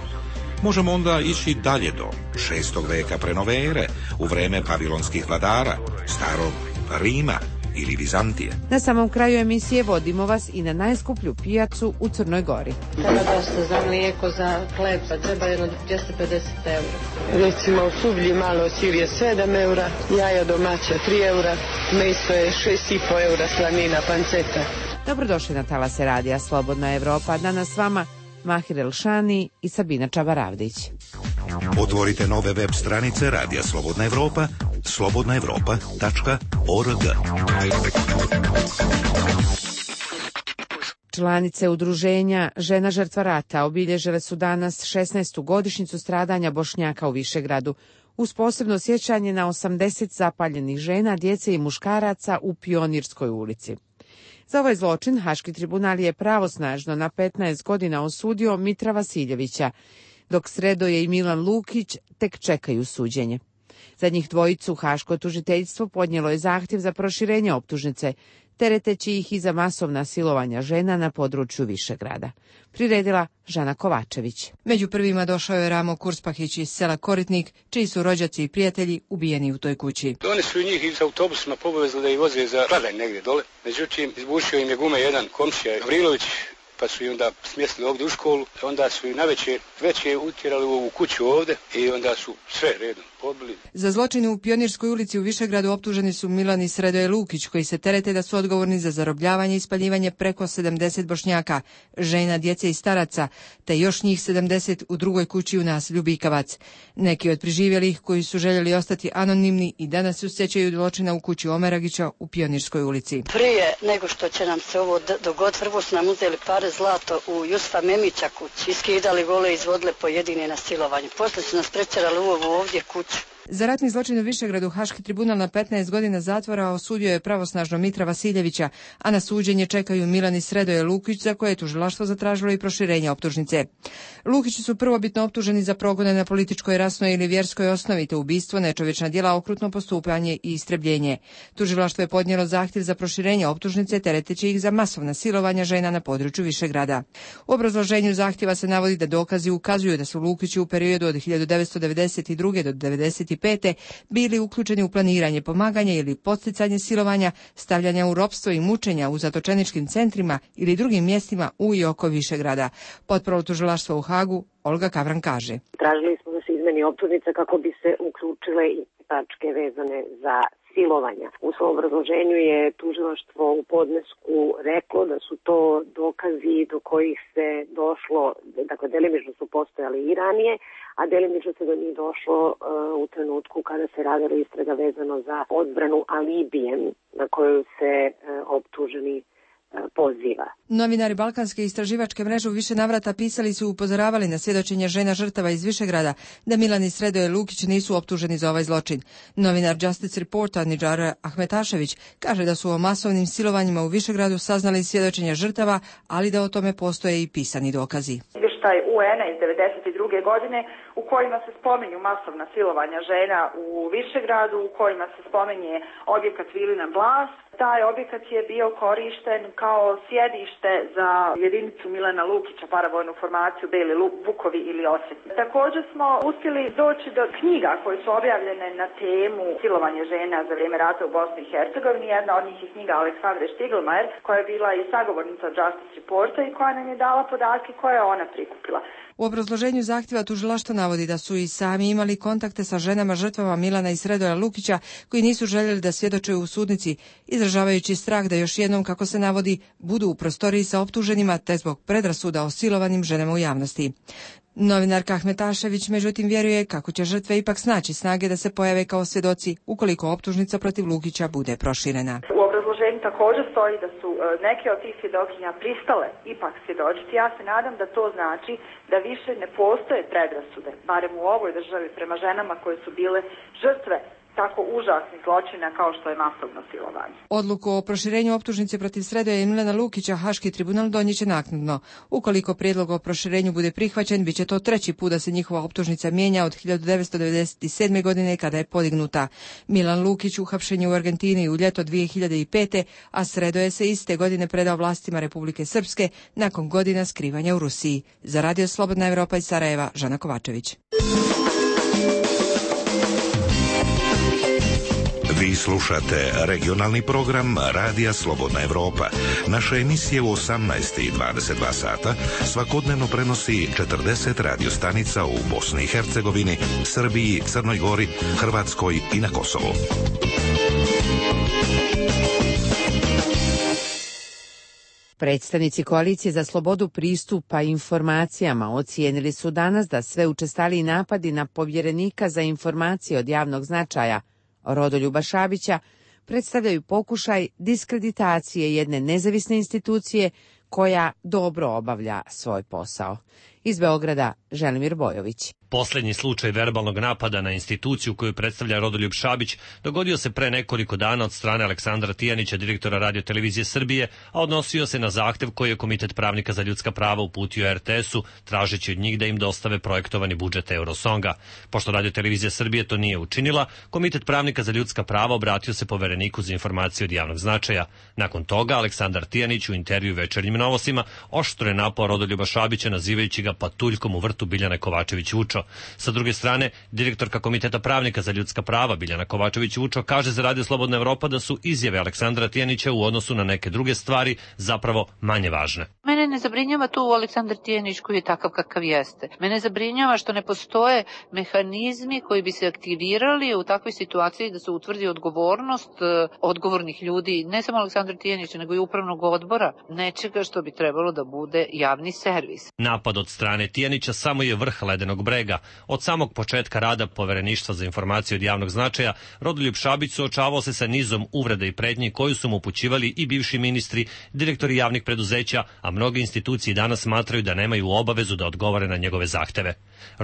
[SPEAKER 2] možemo onda ići dalje do šestog veka pre nove ere, u vreme pavilonskih vladara, starog Rima ili Vizantije.
[SPEAKER 1] Na samom kraju emisije vodimo vas i na najskuplju pijacu u Crnoj Gori.
[SPEAKER 12] Treba dosta za mlijeko, za hleb, pa treba jedno dvjesto pedeset eura.
[SPEAKER 13] Recimo u Sublji malo sir je sedam eura, jaja domaća tri eura, meso je šest i po eura, slanina, panceta.
[SPEAKER 1] Dobrodošli na talase radija Slobodna Evropa. Danas s vama Mahir Elšani i Sabina Čabaravdić.
[SPEAKER 2] Otvorite nove web stranice Radija Slobodna Evropa, slobodna evropa tačka org.
[SPEAKER 1] Članice udruženja Žena žrtva rata obilježile su danas šesnaestu godišnjicu stradanja Bošnjaka u Višegradu, uz posebno sjećanje na osamdeset zapaljenih žena, djece i muškaraca u Pionirskoj ulici. Za ovaj zločin Haški tribunal je pravosnažno na petnaest godina osudio Mitra Vasiljevića, dok Sredoje i Milan Lukić tek čekaju suđenje. Za njih dvojicu Haško tužiteljstvo podnijelo je zahtjev za proširenje optužnice, tereteći ih i za masovna silovanja žena na području Višegrada. Priredila Žana Kovačević.
[SPEAKER 18] Među prvima došao je Ramo Kurspahić iz sela Koritnik, čiji su rođaci i prijatelji ubijeni u toj kući.
[SPEAKER 14] Oni su njih iz autobusima povezali da ih voze za Kladaj negdje dole. Međutim, izbušio im je gume jedan komšija Gavrilović, pa su i onda smjestili ovdje u školu, onda su i navečer veće utjerali u ovu kuću ovdje i onda su sve redom pobili.
[SPEAKER 18] Za zločine u Pionirskoj ulici u Višegradu optuženi su Milan i Sredoje Lukić, koji se terete da su odgovorni za zarobljavanje i spaljivanje preko sedamdeset Bošnjaka, žena, djece i staraca, te još njih sedamdeset u drugoj kući u naselju Bikavac. Neki od preživjelih koji su željeli ostati anonimni i danas se sjećaju zločina u kući Omeragića u Pionirskoj ulici.
[SPEAKER 20] Prije nego što će nam se ovo dogoditi, prvo su nam uzeli pare zlato u Jusufa Memića kući, iskidali gole i izvodile pojedine na silovanje. Poslije su nas prečerali u ovu ovdje kuću.
[SPEAKER 18] Za ratni zločin u Višegradu Haški tribunal na petnaest godina zatvora osudio je pravosnažno Mitra Vasiljevića, a na suđenje čekaju Milan i Sredoje Lukić, za koje je tužilaštvo zatražilo i proširenje optužnice. Lukići su prvobitno optuženi za progone na političkoj, rasnoj ili vjerskoj osnovi, te ubistvo, nečovječna djela, okrutno postupanje i istrebljenje. Tužilaštvo je podnijelo zahtjev za proširenje optužnice, tereteći ih za masovna silovanja žena na području Višegrada. U obrazloženju zahtjeva se navodi da dokazi ukazuju da su Lukići u periodu od hiljadu devetsto devedeset druge do devedeset pete bili uključeni u planiranje, pomaganje ili podsticanje silovanja, stavljanja u ropstvo i mučenja u zatočeničkim centrima ili drugim mjestima u i oko Višegrada. Potpravo tužilaštva u Hagu Olga Kavran kaže:
[SPEAKER 10] Tražili smo da se izmeni optužnica kako bi se uključile i tačke vezane za silovanja. U svom obrazloženju je tužilaštvo u podnesku reklo da su to dokazi do kojih se došlo, dakle delimično su postojali i ranije, a delimično se do njih došlo uh, u trenutku kada se radila istraga vezano za odbranu alibijem na koju se uh, optuženi poziva.
[SPEAKER 18] Novinari Balkanske istraživačke mreže u više navrata pisali su i upozoravali na svjedočenje žena žrtava iz Višegrada da Milan i Sredoje Lukić nisu optuženi za ovaj zločin. Novinar Justice Reporta Nidžar Ahmetašević kaže da su o masovnim silovanjima u Višegradu saznali svjedočenje žrtava, ali da o tome postoje i pisani dokazi.
[SPEAKER 4] Izvještaj U En-a iz devedeset druge godine u kojima se spominju masovna silovanja žena u Višegradu, u kojima se spominje objekat Vilina Blas. Taj objekat je bio korišten kao sjedište za jedinicu Milana Lukića, paravojnu formaciju Beli Vukovi ili Osvetnici. Također smo uspjeli doći do knjiga koje su objavljene na temu silovanje žena za vrijeme rata u Bosni i Hercegovini. Jedna od njih je knjiga Aleksandre Štiglmajer, koja je bila i sagovornica Justice Reporta i koja nam je dala podatke koje je ona prikupila.
[SPEAKER 18] U obrazloženju zahtjeva tužilaštvo navodi da su i sami imali kontakte sa ženama žrtvama Milana i Sredoja Lukića koji nisu željeli da svjedoče u sudnici, izražavajući strah da još jednom, kako se navodi, budu u prostoriji sa optuženima te zbog predrasuda o silovanim ženama u javnosti. Novinarka Ahmetašević međutim vjeruje kako će žrtve ipak snaći snage da se pojave kao svjedoci ukoliko optužnica protiv Lukića bude proširena.
[SPEAKER 4] U obrazloženju također stoji da su neke od tih svjedokinja pristale ipak svjedočiti. Ja se nadam da to znači da više ne postoje predrasude, barem u ovoj državi, prema ženama koje su bile žrtve tako užasnih zločina kao što je masovno silovanje.
[SPEAKER 18] Odluku o proširenju optužnice protiv Sredoja i Milana Lukića Haški tribunal donijet će naknadno. Ukoliko prijedlog o proširenju bude prihvaćen, bit će to treći put da se njihova optužnica mijenja od hiljadu devetsto devedeset sedme godine kada je podignuta. Milan Lukić uhapšen je u Argentini u ljeto dvije hiljade pete, a Sredoje se iste godine predao vlastima Republike Srpske nakon godina skrivanja u Rusiji. Za Radio Slobodna Evropa iz Sarajeva, Žana Kovačević.
[SPEAKER 2] Vi slušate regionalni program Radija Slobodna Evropa. Naše emisije u osamnaest i dvadeset dva sata svakodnevno prenosi četrdeset radiostanica u Bosni i Hercegovini, Srbiji, Crnoj Gori, Hrvatskoj i na Kosovu.
[SPEAKER 1] Predstavnici Koalicije za slobodu pristupa informacijama ocijenili su danas da sve učestaliji napadi na povjerenika za informacije od javnog značaja Rodoljuba Šabića predstavljaju pokušaj diskreditacije jedne nezavisne institucije koja dobro obavlja svoj posao. Iz Beograda Želimir Bojović.
[SPEAKER 15] Posljednji slučaj verbalnog napada na instituciju koju predstavlja Rodoljub Šabić dogodio se pre nekoliko dana od strane Aleksandra Tijanića, direktora Radio-televizije Srbije, a odnosio se na zahtev koji je Komitet pravnika za ljudska prava uputio er te esu, tražeći od njih da im dostave projektovani budžet Eurosonga. Pošto Radio-televizija Srbije to nije učinila, Komitet pravnika za ljudska prava obratio se Povereniku za informacije od javnog značaja. Nakon toga, Aleksandar Tijanić u intervju Večernjim novostima oštro je napao Rodoljuba Šabića, nazivajući ga patuljkom u vrtu Biljana Kovačević-Vučo. Sa druge strane, direktorka Komiteta pravnika za ljudska prava Biljana Kovačević-Vučo kaže za Radio Slobodna Evropa da su izjave Aleksandra Tijanića u odnosu na neke druge stvari zapravo manje važne.
[SPEAKER 3] Mene ne zabrinjava tu Aleksandar Tijanić koji je takav kakav jeste. Mene zabrinjava što ne postoje mehanizmi koji bi se aktivirali u takvoj situaciji da se utvrdi odgovornost odgovornih ljudi, ne samo Aleksandra Tijanića, nego i upravnog odbora, nečega što bi trebalo da bude javni servis.
[SPEAKER 15] Napad od strane Tijanića samo je vrh ledenog brega. Od samog početka rada Povereništva za informacije od javnog značaja, Rodoljub Šabić suočavao se sa nizom uvreda i pretnji koju su mu upućivali i bivši ministri, direktori javnih preduzeća, a mnoge institucije danas smatraju da nemaju obavezu da odgovore na njegove zahteve.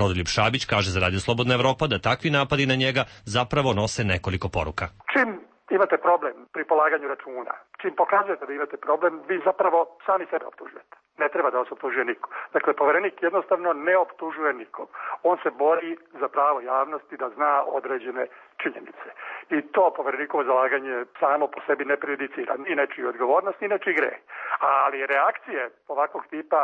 [SPEAKER 15] Rodoljub Šabić kaže za Radio Slobodna Evropa da takvi napadi na njega zapravo nose nekoliko poruka.
[SPEAKER 16] Čim imate problem pri polaganju računa, čim pokazujete da imate problem, vi zapravo sami sebe optužujete. Ne treba da vas optužuje niko. Dakle, Poverenik jednostavno ne optužuje nikog. On se bori za pravo javnosti da zna određene činjenice. I to Poverenikovo zalaganje samo po sebi ne prejudicira ni nečiju odgovornost, ni nečiji greh. Ali reakcije ovakvog tipa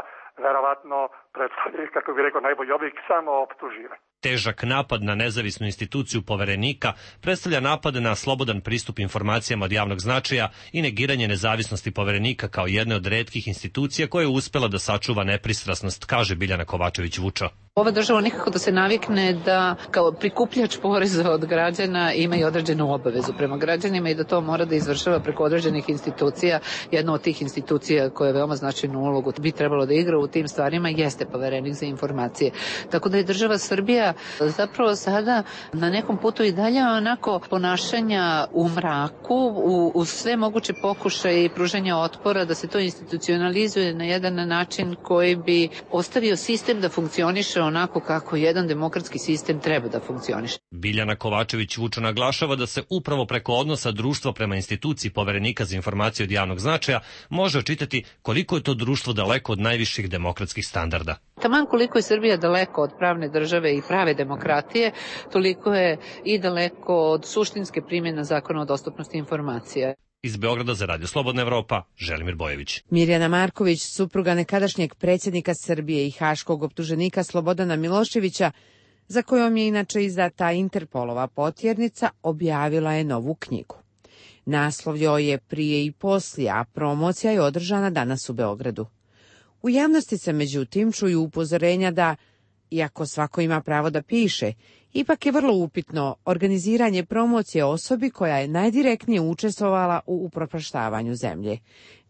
[SPEAKER 16] verovatno predstavljaju, kako bih rekao, najbolji oblik samo optuživanja.
[SPEAKER 15] Težak napad na nezavisnu instituciju Poverenika predstavlja napad na slobodan pristup informacijama od javnog značaja i negiranje nezavisnosti Poverenika kao jedne od retkih institucija koja je uspela da sačuva nepristrasnost, kaže Biljana Kovačević-Vučo.
[SPEAKER 3] Ova država nikako da se navikne da kao prikupljač poreza od građana ima i određenu obavezu prema građanima i da to mora da izvršava preko određenih institucija. Jedna od tih institucija koja je veoma značajnu ulogu bi trebalo da igra u tim stvarima jeste Poverenik za informacije. Tako da je država Srbija zapravo sada na nekom putu i dalje onako ponašanja u mraku, u, u sve moguće pokušaje i pružanja otpora da se to institucionalizuje na jedan način koji bi ostavio sistem da funkcioniše onako kako jedan demokratski sistem treba da funkcioniše.
[SPEAKER 15] Biljana Kovačević-Vučo naglašava da se upravo preko odnosa društva prema instituciji Poverenika za informacije od javnog značaja može očitati koliko je to društvo daleko od najviših demokratskih standarda.
[SPEAKER 3] Taman koliko je Srbija daleko od pravne države i prave demokratije, toliko je i daleko od suštinske primjene zakona o dostupnosti informacija.
[SPEAKER 15] Iz Beograda za Radio Slobodna Evropa, Želimir Bojević.
[SPEAKER 1] Mirjana Marković, supruga nekadašnjeg predsjednika Srbije i haškog optuženika Slobodana Miloševića, za kojom je inače izdata Interpolova potjernica, objavila je novu knjigu. Naslov joj je Prije i poslije, a promocija je održana danas u Beogradu. U javnosti se međutim čuju upozorenja da, iako svako ima pravo da piše, ipak je vrlo upitno organiziranje promocije osobi koja je najdirektnije učestvovala u upropaštavanju zemlje,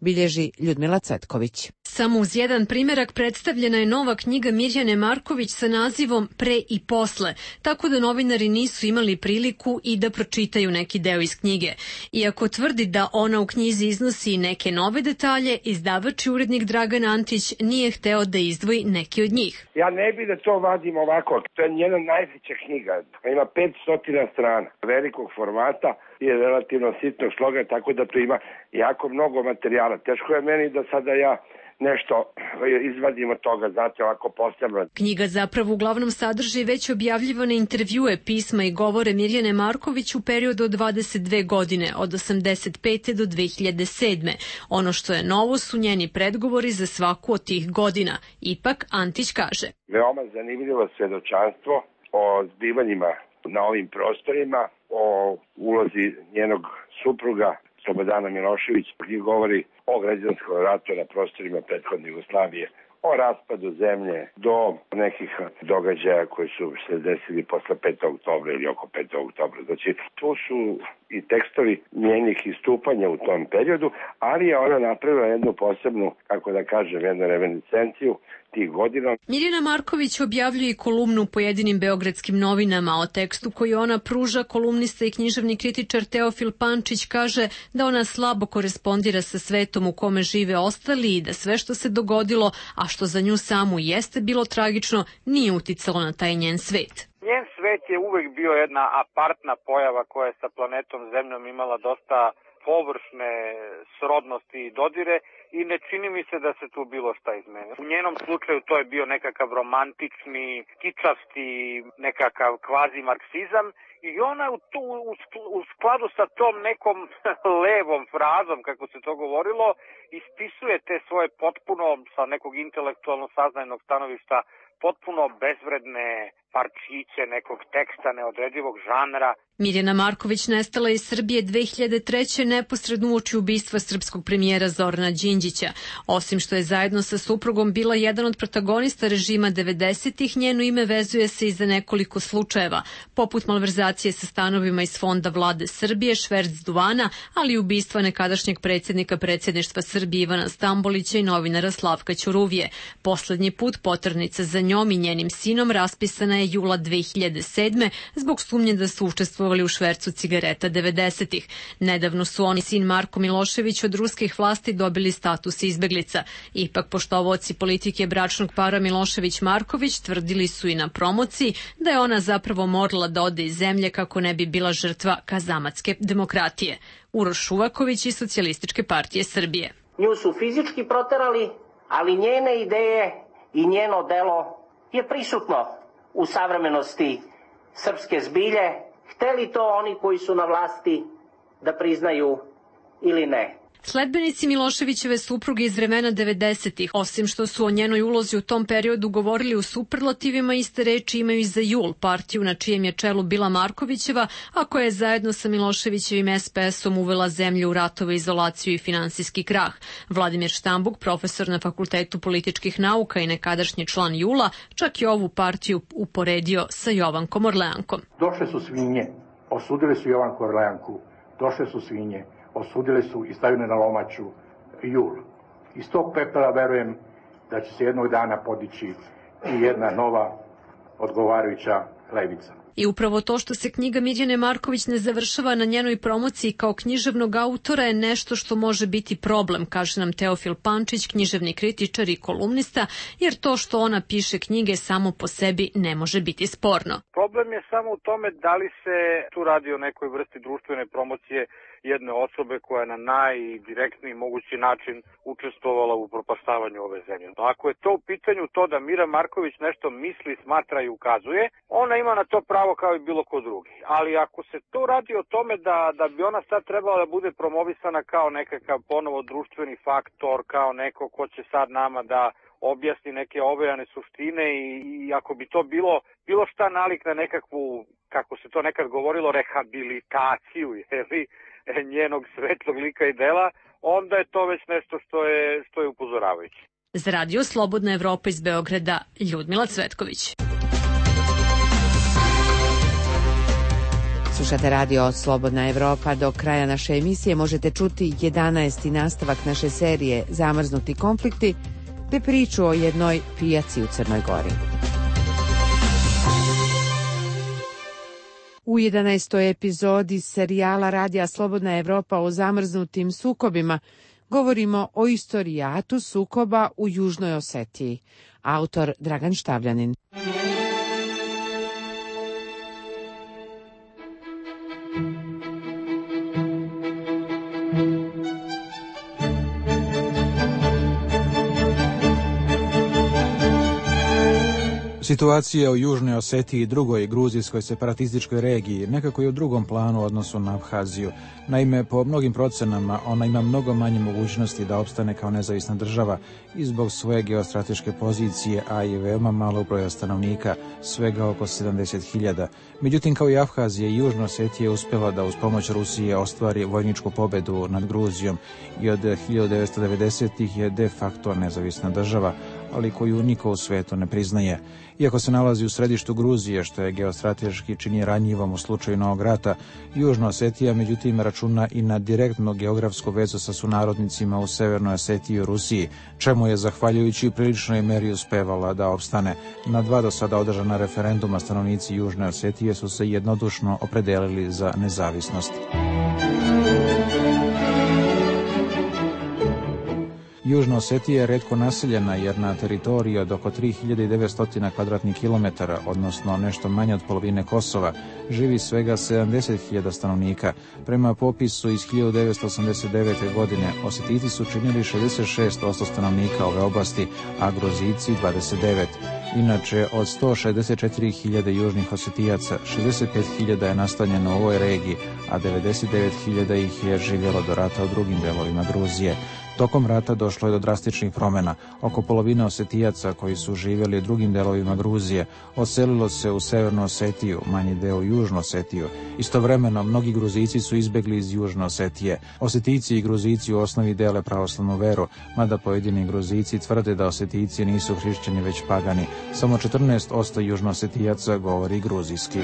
[SPEAKER 1] bilježi Ljudmila Cvetković.
[SPEAKER 17] Samo uz jedan primjerak predstavljena je nova knjiga Mirjane Marković sa nazivom Pre i posle, tako da novinari nisu imali priliku i da pročitaju neki deo iz knjige. Iako tvrdi da ona u knjizi iznosi neke nove detalje, izdavač i urednik Dragan Antić nije hteo da izdvoji neki od njih.
[SPEAKER 19] Ja ne bi da to vadim ovako, to je njena najveća knjiga, ima petsto strana, velikog formata i relativno sitnog sloga, tako da tu ima jako mnogo materijala. Teško je meni da sada ja nešto izvadim od toga, znate, ovako posebno.
[SPEAKER 17] Knjiga zapravo uglavnom sadrži već objavljivane intervjue, pisma i govore Mirjane Marković u periodu od dvadeset dve godine, od osamdeset pete do dve hiljade sedme. Ono što je novo su njeni predgovori za svaku od tih godina. Ipak, Antić kaže.
[SPEAKER 19] Veoma zanimljivo svedočanstvo o zbivanjima na ovim prostorima, o ulozi njenog supruga Slobodana Milošević, koji govori o građanskom ratu na prostorima prethodne Jugoslavije, o raspadu zemlje do nekih događaja koji su se desili posle petog oktobra ili oko petog oktobra. Znači, tu su i tekstovi njenih istupanja u tom periodu, ali je ona napravila jednu posebnu, kako da kažem, jednu reminiscenciju tih godina.
[SPEAKER 17] Mirjana Marković objavljuje i kolumnu u pojedinim beogradskim novinama. O tekstu koji ona pruža, kolumnista i književni kritičar Teofil Pančić kaže da ona slabo korespondira sa svetom u kome žive ostali i da sve što se dogodilo, a što za nju samu jeste bilo tragično, nije uticalo na taj njen svet.
[SPEAKER 5] Njen svet je uvek bio jedna apartna pojava koja je sa planetom Zemljom imala dosta površne srodnosti i dodire i ne čini mi se da se tu bilo šta izmenilo. U njenom slučaju to je bio nekakav romantični, kičasti, nekakav kvazi marksizam i ona u, tu, u skladu sa tom nekom levom frazom, kako se to govorilo, ispisuje te svoje potpuno, sa nekog intelektualno saznajnog stanovišta, potpuno bezvredne parčiće nekog teksta neodredivog žanra.
[SPEAKER 17] Mirjana Marković nestala iz Srbije dve hiljade treće. neposredno uoči ubistva srpskog premijera Zorana Đinđića. Osim što je zajedno sa suprugom bila jedan od protagonista režima devedesetih, njeno ime vezuje se i za nekoliko slučajeva, poput malverzacije sa stanovima iz fonda vlade Srbije, šverc duvana, ali i ubistva nekadašnjeg predsjednika predsjedništva Srbije Ivana Stambolića i novinara Slavka Ćuruvije. Poslednji put poternica za njom i njenim sinom raspisana je jula dve hiljade sedme. zbog sumnje da su učestvovali u švercu cigareta devedesetih. Nedavno su oni sin Marko Milošević od ruskih vlasti dobili status izbeglica. Ipak poštovaoci politike bračnog para Milošević-Marković tvrdili su i na promociji da je ona zapravo morala da ode iz zemlje kako ne bi bila žrtva kazamatske demokratije. Uroš Šuvaković iz Socijalističke partije Srbije.
[SPEAKER 21] Nju su fizički proterali, ali njene ideje i njeno delo je prisutno u savremenosti srpske zbilje, hteli to oni koji su na vlasti da priznaju ili ne.
[SPEAKER 17] Sledbenici Miloševićeve supruge iz vremena devedesetih, osim što su o njenoj ulozi u tom periodu govorili u superlativima, iste reči imaju i za JUL, partiju na čijem je čelu bila Markovićeva, a koja je zajedno sa Miloševićevim es pe esom uvela zemlju u ratove, izolaciju i finansijski krah. Vladimir Štambuk, profesor na Fakultetu političkih nauka i nekadašnji član JUL-a, čak i ovu partiju uporedio sa Jovankom Orleankom.
[SPEAKER 22] Došle su svinje, osudili su Jovanku Orleanku, došle su svinje, osudili su i stavili na lomaču JUL. Iz tog pepela verujem da će se jednog dana podići i jedna nova odgovarajuća levica.
[SPEAKER 17] I upravo to što se knjiga Mirjane Marković ne završava na njenoj promociji kao književnog autora je nešto što može biti problem, kaže nam Teofil Pančić, književni kritičar i kolumnista, jer to što ona piše knjige samo po sebi ne može biti sporno.
[SPEAKER 5] Problem je samo u tome da li se tu radi o nekoj vrsti društvene promocije jedne osobe koja je na najdirektniji mogući način učestvovala u propaštavanju ove zemlje. Ako je to u pitanju to da Mira Marković nešto misli, smatra i ukazuje, ona ima na to pravo kao i bilo ko drugi. Ali ako se to radi o tome da, da bi ona sad trebala da bude promovisana kao nekakav ponovo društveni faktor, kao neko ko će sad nama da objasni neke ovejane suštine i, i ako bi to bilo bilo šta nalik na nekakvu, kako se to nekad govorilo, rehabilitaciju, jeli, njenog svetlog lika i dela, onda je to već nešto što je, što je upozoravajuće.
[SPEAKER 17] Za Radio Slobodna Evropa iz Beograda, Ljudmila Cvetković.
[SPEAKER 1] Slušate Radio Slobodna Evropa. Do kraja naše emisije možete čuti jedanaesti nastavak naše serije Zamrznuti konflikti, te priču o jednoj pijaci u Crnoj Gori. U jedanaestoj epizodi serijala Radija Slobodna Evropa o zamrznutim sukobima govorimo o istorijatu sukoba u Južnoj Osetiji. Autor Dragan Štavljanin.
[SPEAKER 23] Situacija u Južnoj Osetiji, drugoj gruzijskoj separatističkoj regiji, nekako je u drugom planu u odnosu na Abhaziju. Naime, po mnogim procenama ona ima mnogo manje mogućnosti da opstane kao nezavisna država i zbog svoje geostrateške pozicije, a i veoma malo broja stanovnika, svega oko sedamdeset hiljada. Međutim, kao i Abhazija, i Južna Osetija je uspjela da uz pomoć Rusije ostvari vojničku pobedu nad Gruzijom i od hiljadu devetsto devedesetih je de facto nezavisna država, ali koju niko u svetu ne priznaje. Iako se nalazi u središtu Gruzije, što je geostrateški čini ranjivom u slučaju Novog rata, Južna Osetija međutim računa i na direktnu geografsku vezu sa sunarodnicima u Severnoj Osetiji i Rusiji, čemu je zahvaljujući u priličnoj meri uspevala da opstane. Na dva do sada održana referenduma stanovnici Južne Osetije su se jednodušno opredelili za nezavisnost. Južna Osetija je retko naseljena jer na teritoriji od oko tri hiljade devetsto kvadratnih kilometara, odnosno nešto manje od polovine Kosova, živi svega sedamdeset hiljada stanovnika. Prema popisu iz hiljadu devetsto osamdeset devete. godine Osetijci su činili šezdeset šest posto stanovnika ove oblasti, a Gruzijci dvadeset devet. Inače, od sto šezdeset četiri hiljade južnih Osetijaca, šezdeset pet hiljada je nastanjeno u ovoj regiji, a devedeset devet hiljada ih je živjelo do rata u drugim delovima Gruzije. Tokom rata došlo je do drastičnih promjena. Oko polovine Osetijaca koji su živjeli u drugim delovima Gruzije odselilo se u Severnu Osetiju, manji deo u Južnu Osetiju. Istovremeno, mnogi Gruzici su izbjegli iz Južne Osetije. Osetici i Gruzici u osnovi dele pravoslavnu veru, mada pojedini Gruzici tvrde da Osetici nisu hrišćani već pagani. Samo četrnaest posto Južnoosetijaca govori gruzijski.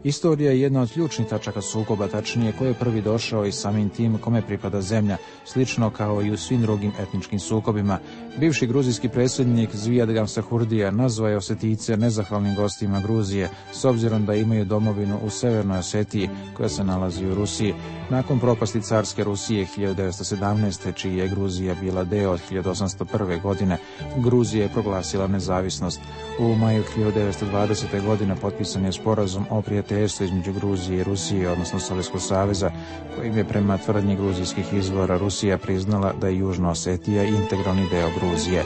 [SPEAKER 23] Istorija je jedna od ključnih tačaka sukoba, tačnije ko je prvi došao i samim tim kome pripada zemlja, slično kao i u svim drugim etničkim sukobima. Bivši gruzijski predsjednik Zvijad Gamsahurdija nazvao je Osetice nezahvalnim gostima Gruzije, s obzirom da imaju domovinu u Severnoj Osetiji, koja se nalazi u Rusiji. Nakon propasti carske Rusije hiljadu devetsto sedamnaeste. čiji je Gruzija bila deo od hiljadu osamsto prve. godine, Gruzija je proglasila nezavisnost. U maju hiljadu devetsto dvadesete. godine potpisan je sporazum o prijateljstvu između Gruzije i Rusije, odnosno Sovjetskog saveza, kojim je prema tvrdnji gruzijskih izvora Rusija priznala da je Južna Osetija integralni deo Gruzije.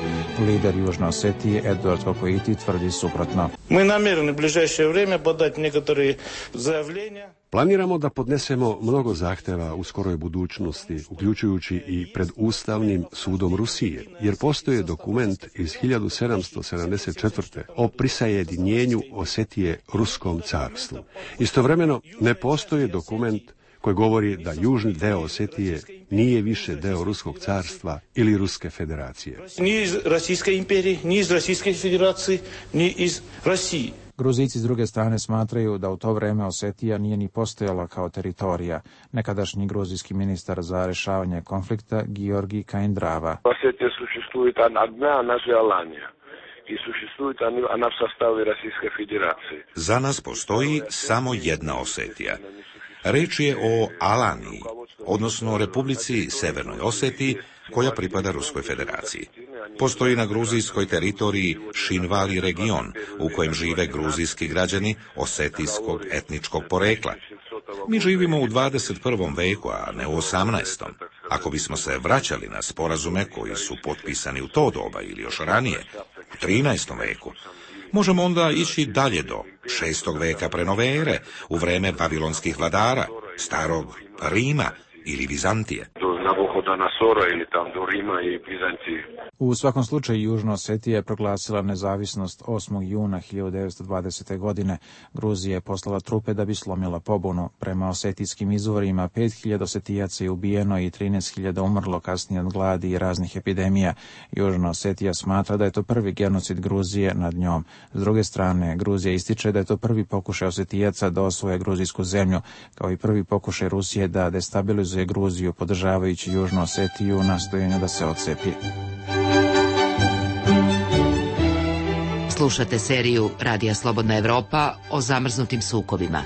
[SPEAKER 23] Lider Južne Osetije Eduard Kokoiti tvrdi suprotno.
[SPEAKER 11] Mi namjerni u bližajše vrijeme podati nekatore zaявljenja.
[SPEAKER 6] Planiramo da podnesemo mnogo zahteva u skoroj budućnosti, uključujući i pred Ustavnim sudom Rusije, jer postoji dokument iz hiljadu sedamsto sedamdeset četvrte. o prisajedinjenju Osetije Ruskom carstvu. Istovremeno ne postoji dokument koji govori da južni deo Osetije nije više deo Ruskog carstva ili Ruske federacije.
[SPEAKER 11] Ni iz Rasijske imperije, ni iz Rasijske federacije, ni iz Rasije.
[SPEAKER 23] Gruzici s druge strane smatraju da u to vreme Osetija nije ni postojala kao teritorija. Nekadašnji gruzijski ministar za rješavanje konflikta Georgi Kaindrava.
[SPEAKER 7] Osetija существует одна, она же Алания. I существует она в составе Российской Федерации.
[SPEAKER 2] Za nas postoji samo jedna Osetija. Reč je o Alaniji, odnosno Republici Severnoj Osetiji, koja pripada Ruskoj federaciji. Postoji na gruzijskoj teritoriji Šinvali region, u kojem žive gruzijski građani osetijskog etničkog porekla. Mi živimo u dvadeset prvom veku, a ne u osamnaestom. Ako bismo se vraćali na sporazume koji su potpisani u to doba ili još ranije, u trinaestom veku, možemo onda ići dalje do šestog veka pre nove ere, u vreme babilonskih vladara, starog Rima ili Vizantije.
[SPEAKER 7] Ili tam do Rima i Bizancije.
[SPEAKER 23] U svakom slučaju Južna Osetija je proglasila nezavisnost osmog juna hiljadu devetsto dvadesete. godine. Gruzija je poslala trupe da bi slomila pobunu. Prema osetijskim izvorima pet hiljada Osetijaca je ubijeno i trinaest hiljada umrlo kasnije od gladi i raznih epidemija. Južna Osetija smatra da je to prvi genocid Gruzije nad njom. S druge strane, Gruzija ističe da je to prvi pokušaj Osetijaca da osvoje gruzijsku zemlju, kao i prvi pokušaj Rusije da destabilizuje Gruziju podržavajući Južnu Osetiju u nastojanju da se odcepi.
[SPEAKER 8] Slušate seriju Radija Slobodna Evropa o zamrznutim sukobima.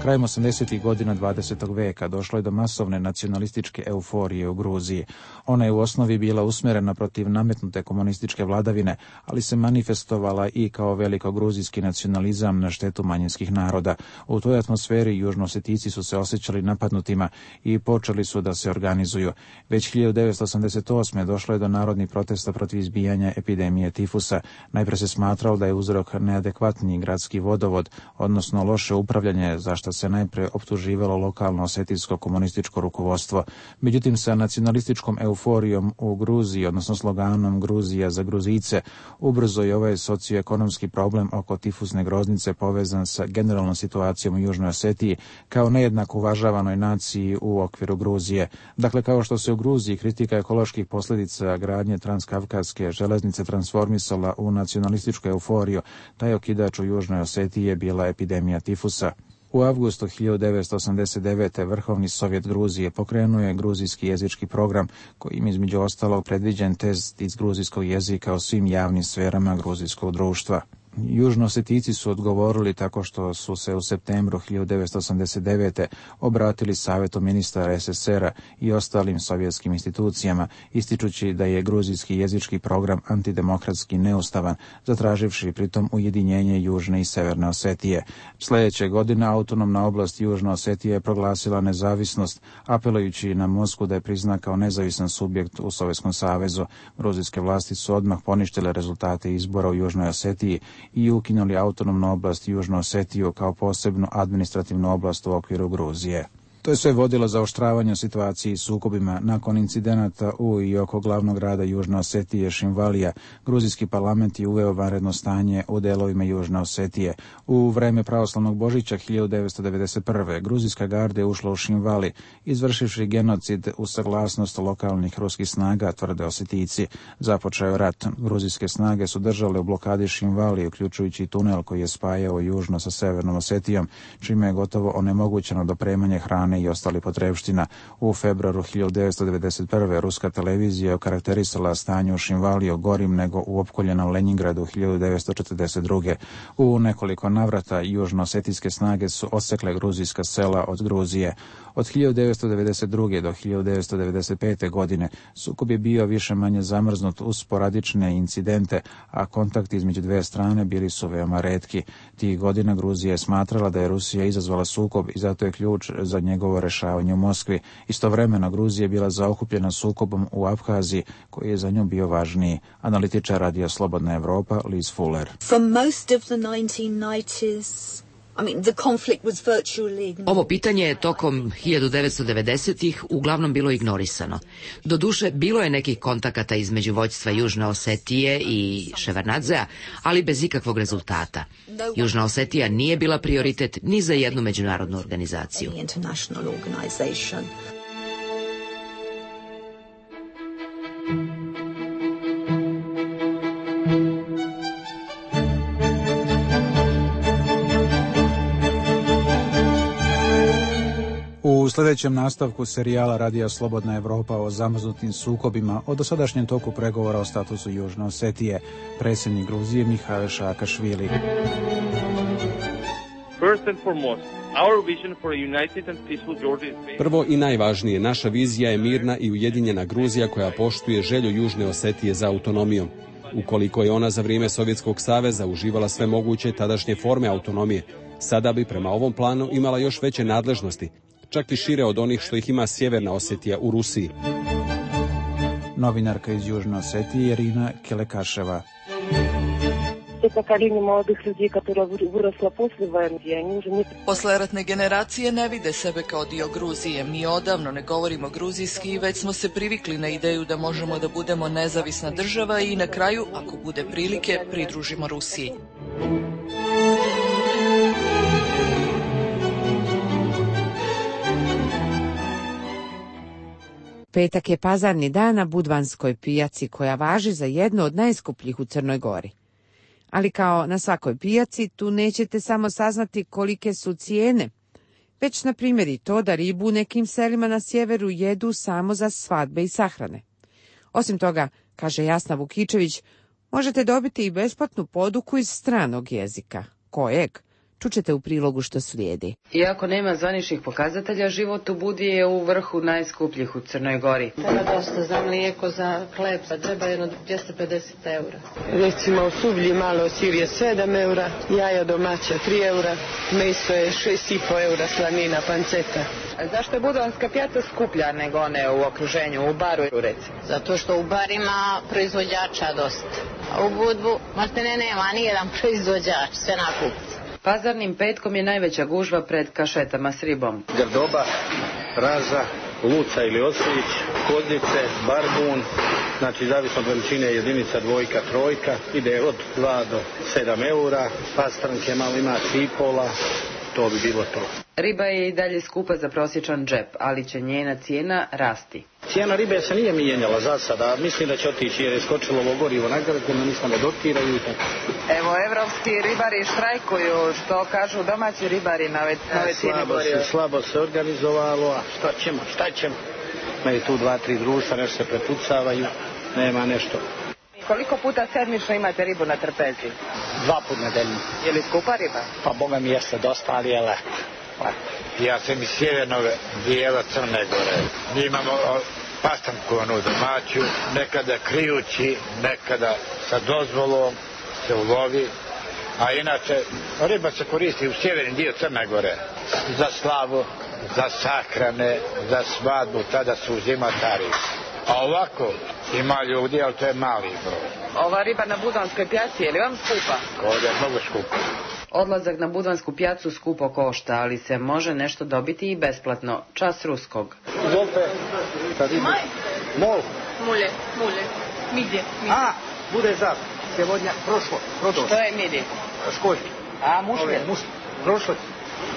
[SPEAKER 23] Krajem osamdesetih godina dvadesetog veka došlo je do masovne nacionalističke euforije u Gruziji. Ona je u osnovi bila usmjerena protiv nametnute komunističke vladavine, ali se manifestovala i kao veliko gruzijski nacionalizam na štetu manjinskih naroda. U toj atmosferi Južnoosetici su se osjećali napadnutima i počeli su da se organizuju. Već hiljadu devetsto osamdeset osme. došlo je do narodnih protesta protiv izbijanja epidemije tifusa. Najpre se smatralo da je uzrok neadekvatni gradski vodovod, odnosno loše upravljanje, za što se najpre optuživalo lokalno osetijsko komunističko rukovodstvo. Međutim, sa nacionalističkom euforijom u Gruziji, odnosno sloganom Gruzija za Gruzice, ubrzo je ovaj socioekonomski problem oko tifusne groznice povezan sa generalnom situacijom u Južnoj Osetiji kao nejednako uvažavanoj naciji u okviru Gruzije. Dakle, kao što se u Gruziji kritika ekoloških posljedica gradnje transkavkazske železnice transformisala u nacionalističku euforiju, taj okidač u Južnoj Osetiji je bila epidemija tifusa. U avgustu hiljadu devetsto osamdeset devete. Vrhovni sovjet Gruzije pokrenuo je gruzijski jezički program kojim između ostalog predviđen test iz gruzijskog jezika o svim javnim sferama gruzijskog društva. Južnoosetici su odgovorili tako što su se u septembru hiljadu devetsto osamdeset devete. obratili Savjetu ministara es es er a i ostalim sovjetskim institucijama, ističući da je gruzijski jezički program antidemokratski neustavan, zatraživši pritom ujedinjenje Južne i Severne Osetije. Sljedeće godine autonomna oblast Južna Osetija je proglasila nezavisnost, apelujući na Moskvu da je prizna kao nezavisan subjekt u Sovjetskom savezu. Gruzijske vlasti su odmah poništile rezultate izbora u Južnoj Osetiji i ukinuli autonomnu oblast Južnu Osetiju kao posebnu administrativnu oblast u okviru Gruzije. To je sve vodilo zaoštravanju situacije i sukobima. Nakon incidenata u i oko glavnog grada Južne Osetije Šinvalija, gruzijski parlament je uveo vanredno stanje u delovima Južne Osetije. U vreme pravoslavnog Božića hiljadu devetsto devedeset prve. gruzijska garda je ušla u Šinvali, izvršivši genocid u saglasnost lokalnih ruskih snaga, tvrde Osetijci. Započeo je rat. Gruzijske snage su držale u blokadi Šinvali, uključujući i tunel koji je spajao južno sa severnom Osetijom, čime je gotovo onemogućeno dopremanje hrane i ostali potrepština. U februaru hiljadu devetsto devedeset prve. ruska televizija je okarakterisala stanje u Šinvaliju gorim nego u opkoljenom Leningradu hiljadu devetsto četrdeset druge. U nekoliko navrata južno-osetijske snage su odsekle gruzijska sela od Gruzije. Od hiljadu devetsto devedeset druge. do hiljadu devetsto devedeset pete. godine sukob je bio više manje zamrznut uz sporadične incidente, a kontakti između dve strane bili su veoma retki. Tih godina Gruzija je smatrala da je Rusija izazvala sukob i zato je ključ za njegovo rešavanje u Moskvi. Istovremeno Gruzija je bila zaokupljena sukobom u Abhaziji, koji je za nju bio važniji. Analitičar Radija Slobodna Evropa Liz Fuller.
[SPEAKER 9] From most of the nineteen nineties, I mean, the conflict was virtually ignored.
[SPEAKER 8] Ovo pitanje je tokom hiljadu devetsto devedesetih uglavnom bilo ignorisano. Doduše, bilo je nekih kontakata između vođstva Južne Osetije i Ševardnadzea, ali bez ikakvog rezultata. Južna Osetija nije bila prioritet ni za jednu međunarodnu organizaciju.
[SPEAKER 23] U sljedećem nastavku serijala Radija Slobodna Evropa o zamrznutim sukobima o dosadašnjem toku pregovora o statusu Južne Osetije, predsjednik Gruzije Mihail Saakašvili.
[SPEAKER 12] Prvo i najvažnije, naša vizija je mirna i ujedinjena Gruzija koja poštuje želju Južne Osetije za autonomijom. Ukoliko je ona za vrijeme Sovjetskog saveza uživala sve moguće tadašnje forme autonomije, sada bi prema ovom planu imala još veće nadležnosti, čak i šire od onih što ih ima Sjeverna Osetija u Rusiji.
[SPEAKER 23] Novinarka iz Južne Osetije Irina Kelekaševa.
[SPEAKER 13] Posleratne generacije ne vide sebe kao dio Gruzije. Mi odavno ne govorimo gruzijski i već smo se privikli na ideju da možemo da budemo nezavisna država i na kraju, ako bude prilike, pridružimo Rusiji.
[SPEAKER 1] Petak je pazarni dan na Budvanskoj pijaci koja važi za jednu od najskupljih u Crnoj Gori. Ali kao na svakoj pijaci, tu nećete samo saznati kolike su cijene, već na primjer i to da ribu u nekim selima na sjeveru jedu samo za svadbe i sahrane. Osim toga, kaže Jasna Vukičević, možete dobiti i besplatnu poduku iz stranog jezika. Kojeg? Čućete u prilogu što slijedi.
[SPEAKER 24] Iako nema zvaničnih pokazatelja, život u Budi je u vrhu najskupljih u Crnoj Gori.
[SPEAKER 25] Treba dosta za mlijeko, za hleb, treba jedno dvjesto pedeset eura.
[SPEAKER 26] Recimo suvlji malo sir je sedam eura, jaja domaća tri eura, meso je šest i po eura, slanina, panceta.
[SPEAKER 24] A zašto je budvanska pijaca skuplja nego one u okruženju, u Baru recimo?
[SPEAKER 25] Zato što u Barima proizvođača dosta, a u Budvu maltene nema nijedan proizvođač, sve nakupci.
[SPEAKER 24] Pazarnim petkom je najveća gužva pred kašetama s ribom.
[SPEAKER 27] Grdoba, raza, luca ili oslić, kozlice, barbun, znači zavisno od veličine jedinica dvojka, trojka, ide od dva do sedam eura, pastranke malo ima cipola, to bi bilo to.
[SPEAKER 24] Riba je i dalje skupa za prosječan džep, ali će njena cijena rasti.
[SPEAKER 27] Cijena ribe se nije mijenjala za sada, mislim da će otići jer je skočilo ovo gorivo na grku, no nismo ne dotiraju i tako.
[SPEAKER 24] Evo, evropski ribari štrajkuju, što kažu domaći ribari na ove, na ove cijene goriva.
[SPEAKER 27] Slabo se organizovalo, a što ćemo, šta ćemo? Imaju tu dva, tri društva, nešto se prepucavaju, nema nešto.
[SPEAKER 24] Koliko puta sedmično imate ribu na trpezi?
[SPEAKER 27] Dva put nedeljno.
[SPEAKER 24] Je li skupa riba?
[SPEAKER 27] Pa boga mi jeste dosta, ali je lako.
[SPEAKER 28] Ja sam iz sjevernog dijela Crne Gore. Mi imamo pastanku onu domaću, nekada krijući, nekada sa dozvolom se ulovi, a inače riba se koristi u sjeverni dio Crne Gore za slavu, za sahrane, za svadbu, tada su uzimatari. A ovako ima ljudi, ali to je mali broj.
[SPEAKER 24] Ova riba na Budvanskoj pjaci, je li vam skupa?
[SPEAKER 28] Ovdje je mnogo skupa.
[SPEAKER 3] Odlazak na Budvansku pjacu skupo košta, ali se može nešto dobiti i besplatno. Čas ruskog.
[SPEAKER 27] Izvolite.
[SPEAKER 24] Maj.
[SPEAKER 27] Mol.
[SPEAKER 24] Mulje, mulje. Midje.
[SPEAKER 27] A, bude zap. Сегодня prošlo.
[SPEAKER 24] Što je midje?
[SPEAKER 27] Školjki.
[SPEAKER 24] A, mušlje?
[SPEAKER 27] Mušlje. Prošlo.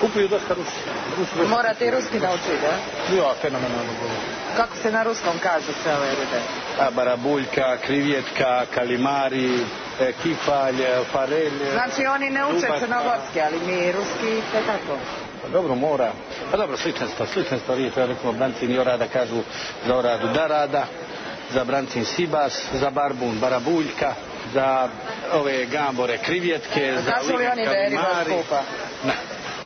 [SPEAKER 27] Kupuju dosta Rusi.
[SPEAKER 24] Rusi. Morate i ruski naučiti, da?
[SPEAKER 27] Ja, fenomenalno govorim.
[SPEAKER 24] Kako se na ruskom kažu sve ove ribe?
[SPEAKER 27] A, barabuljka, krivjetka, kalimari, e, kifalj, farelj.
[SPEAKER 24] Znači oni ne uče crnogorski, ali mi ruski tekako.
[SPEAKER 27] Pa dobro, mora. Pa dobro, slične stvari, slične stvari. To je, recimo, brancin i orada kažu za oradu darada, za brancin sibas, za barbun barabuljka, za ove gambore krivjetke, za
[SPEAKER 24] kažu li oni da je riba skupa?
[SPEAKER 27] Ne.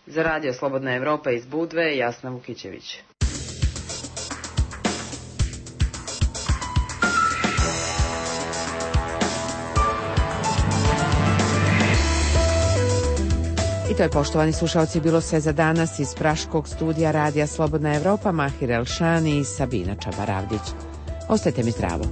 [SPEAKER 3] Za Radio Slobodna Evropa iz Budve, Jasna Vukićević.
[SPEAKER 1] I to je, poštovani slušalci, bilo sve za danas iz praškog studija Radija Slobodna Evropa. Mahir Elšani i Sabina Čabaravdić. Ostajte mi zdravo.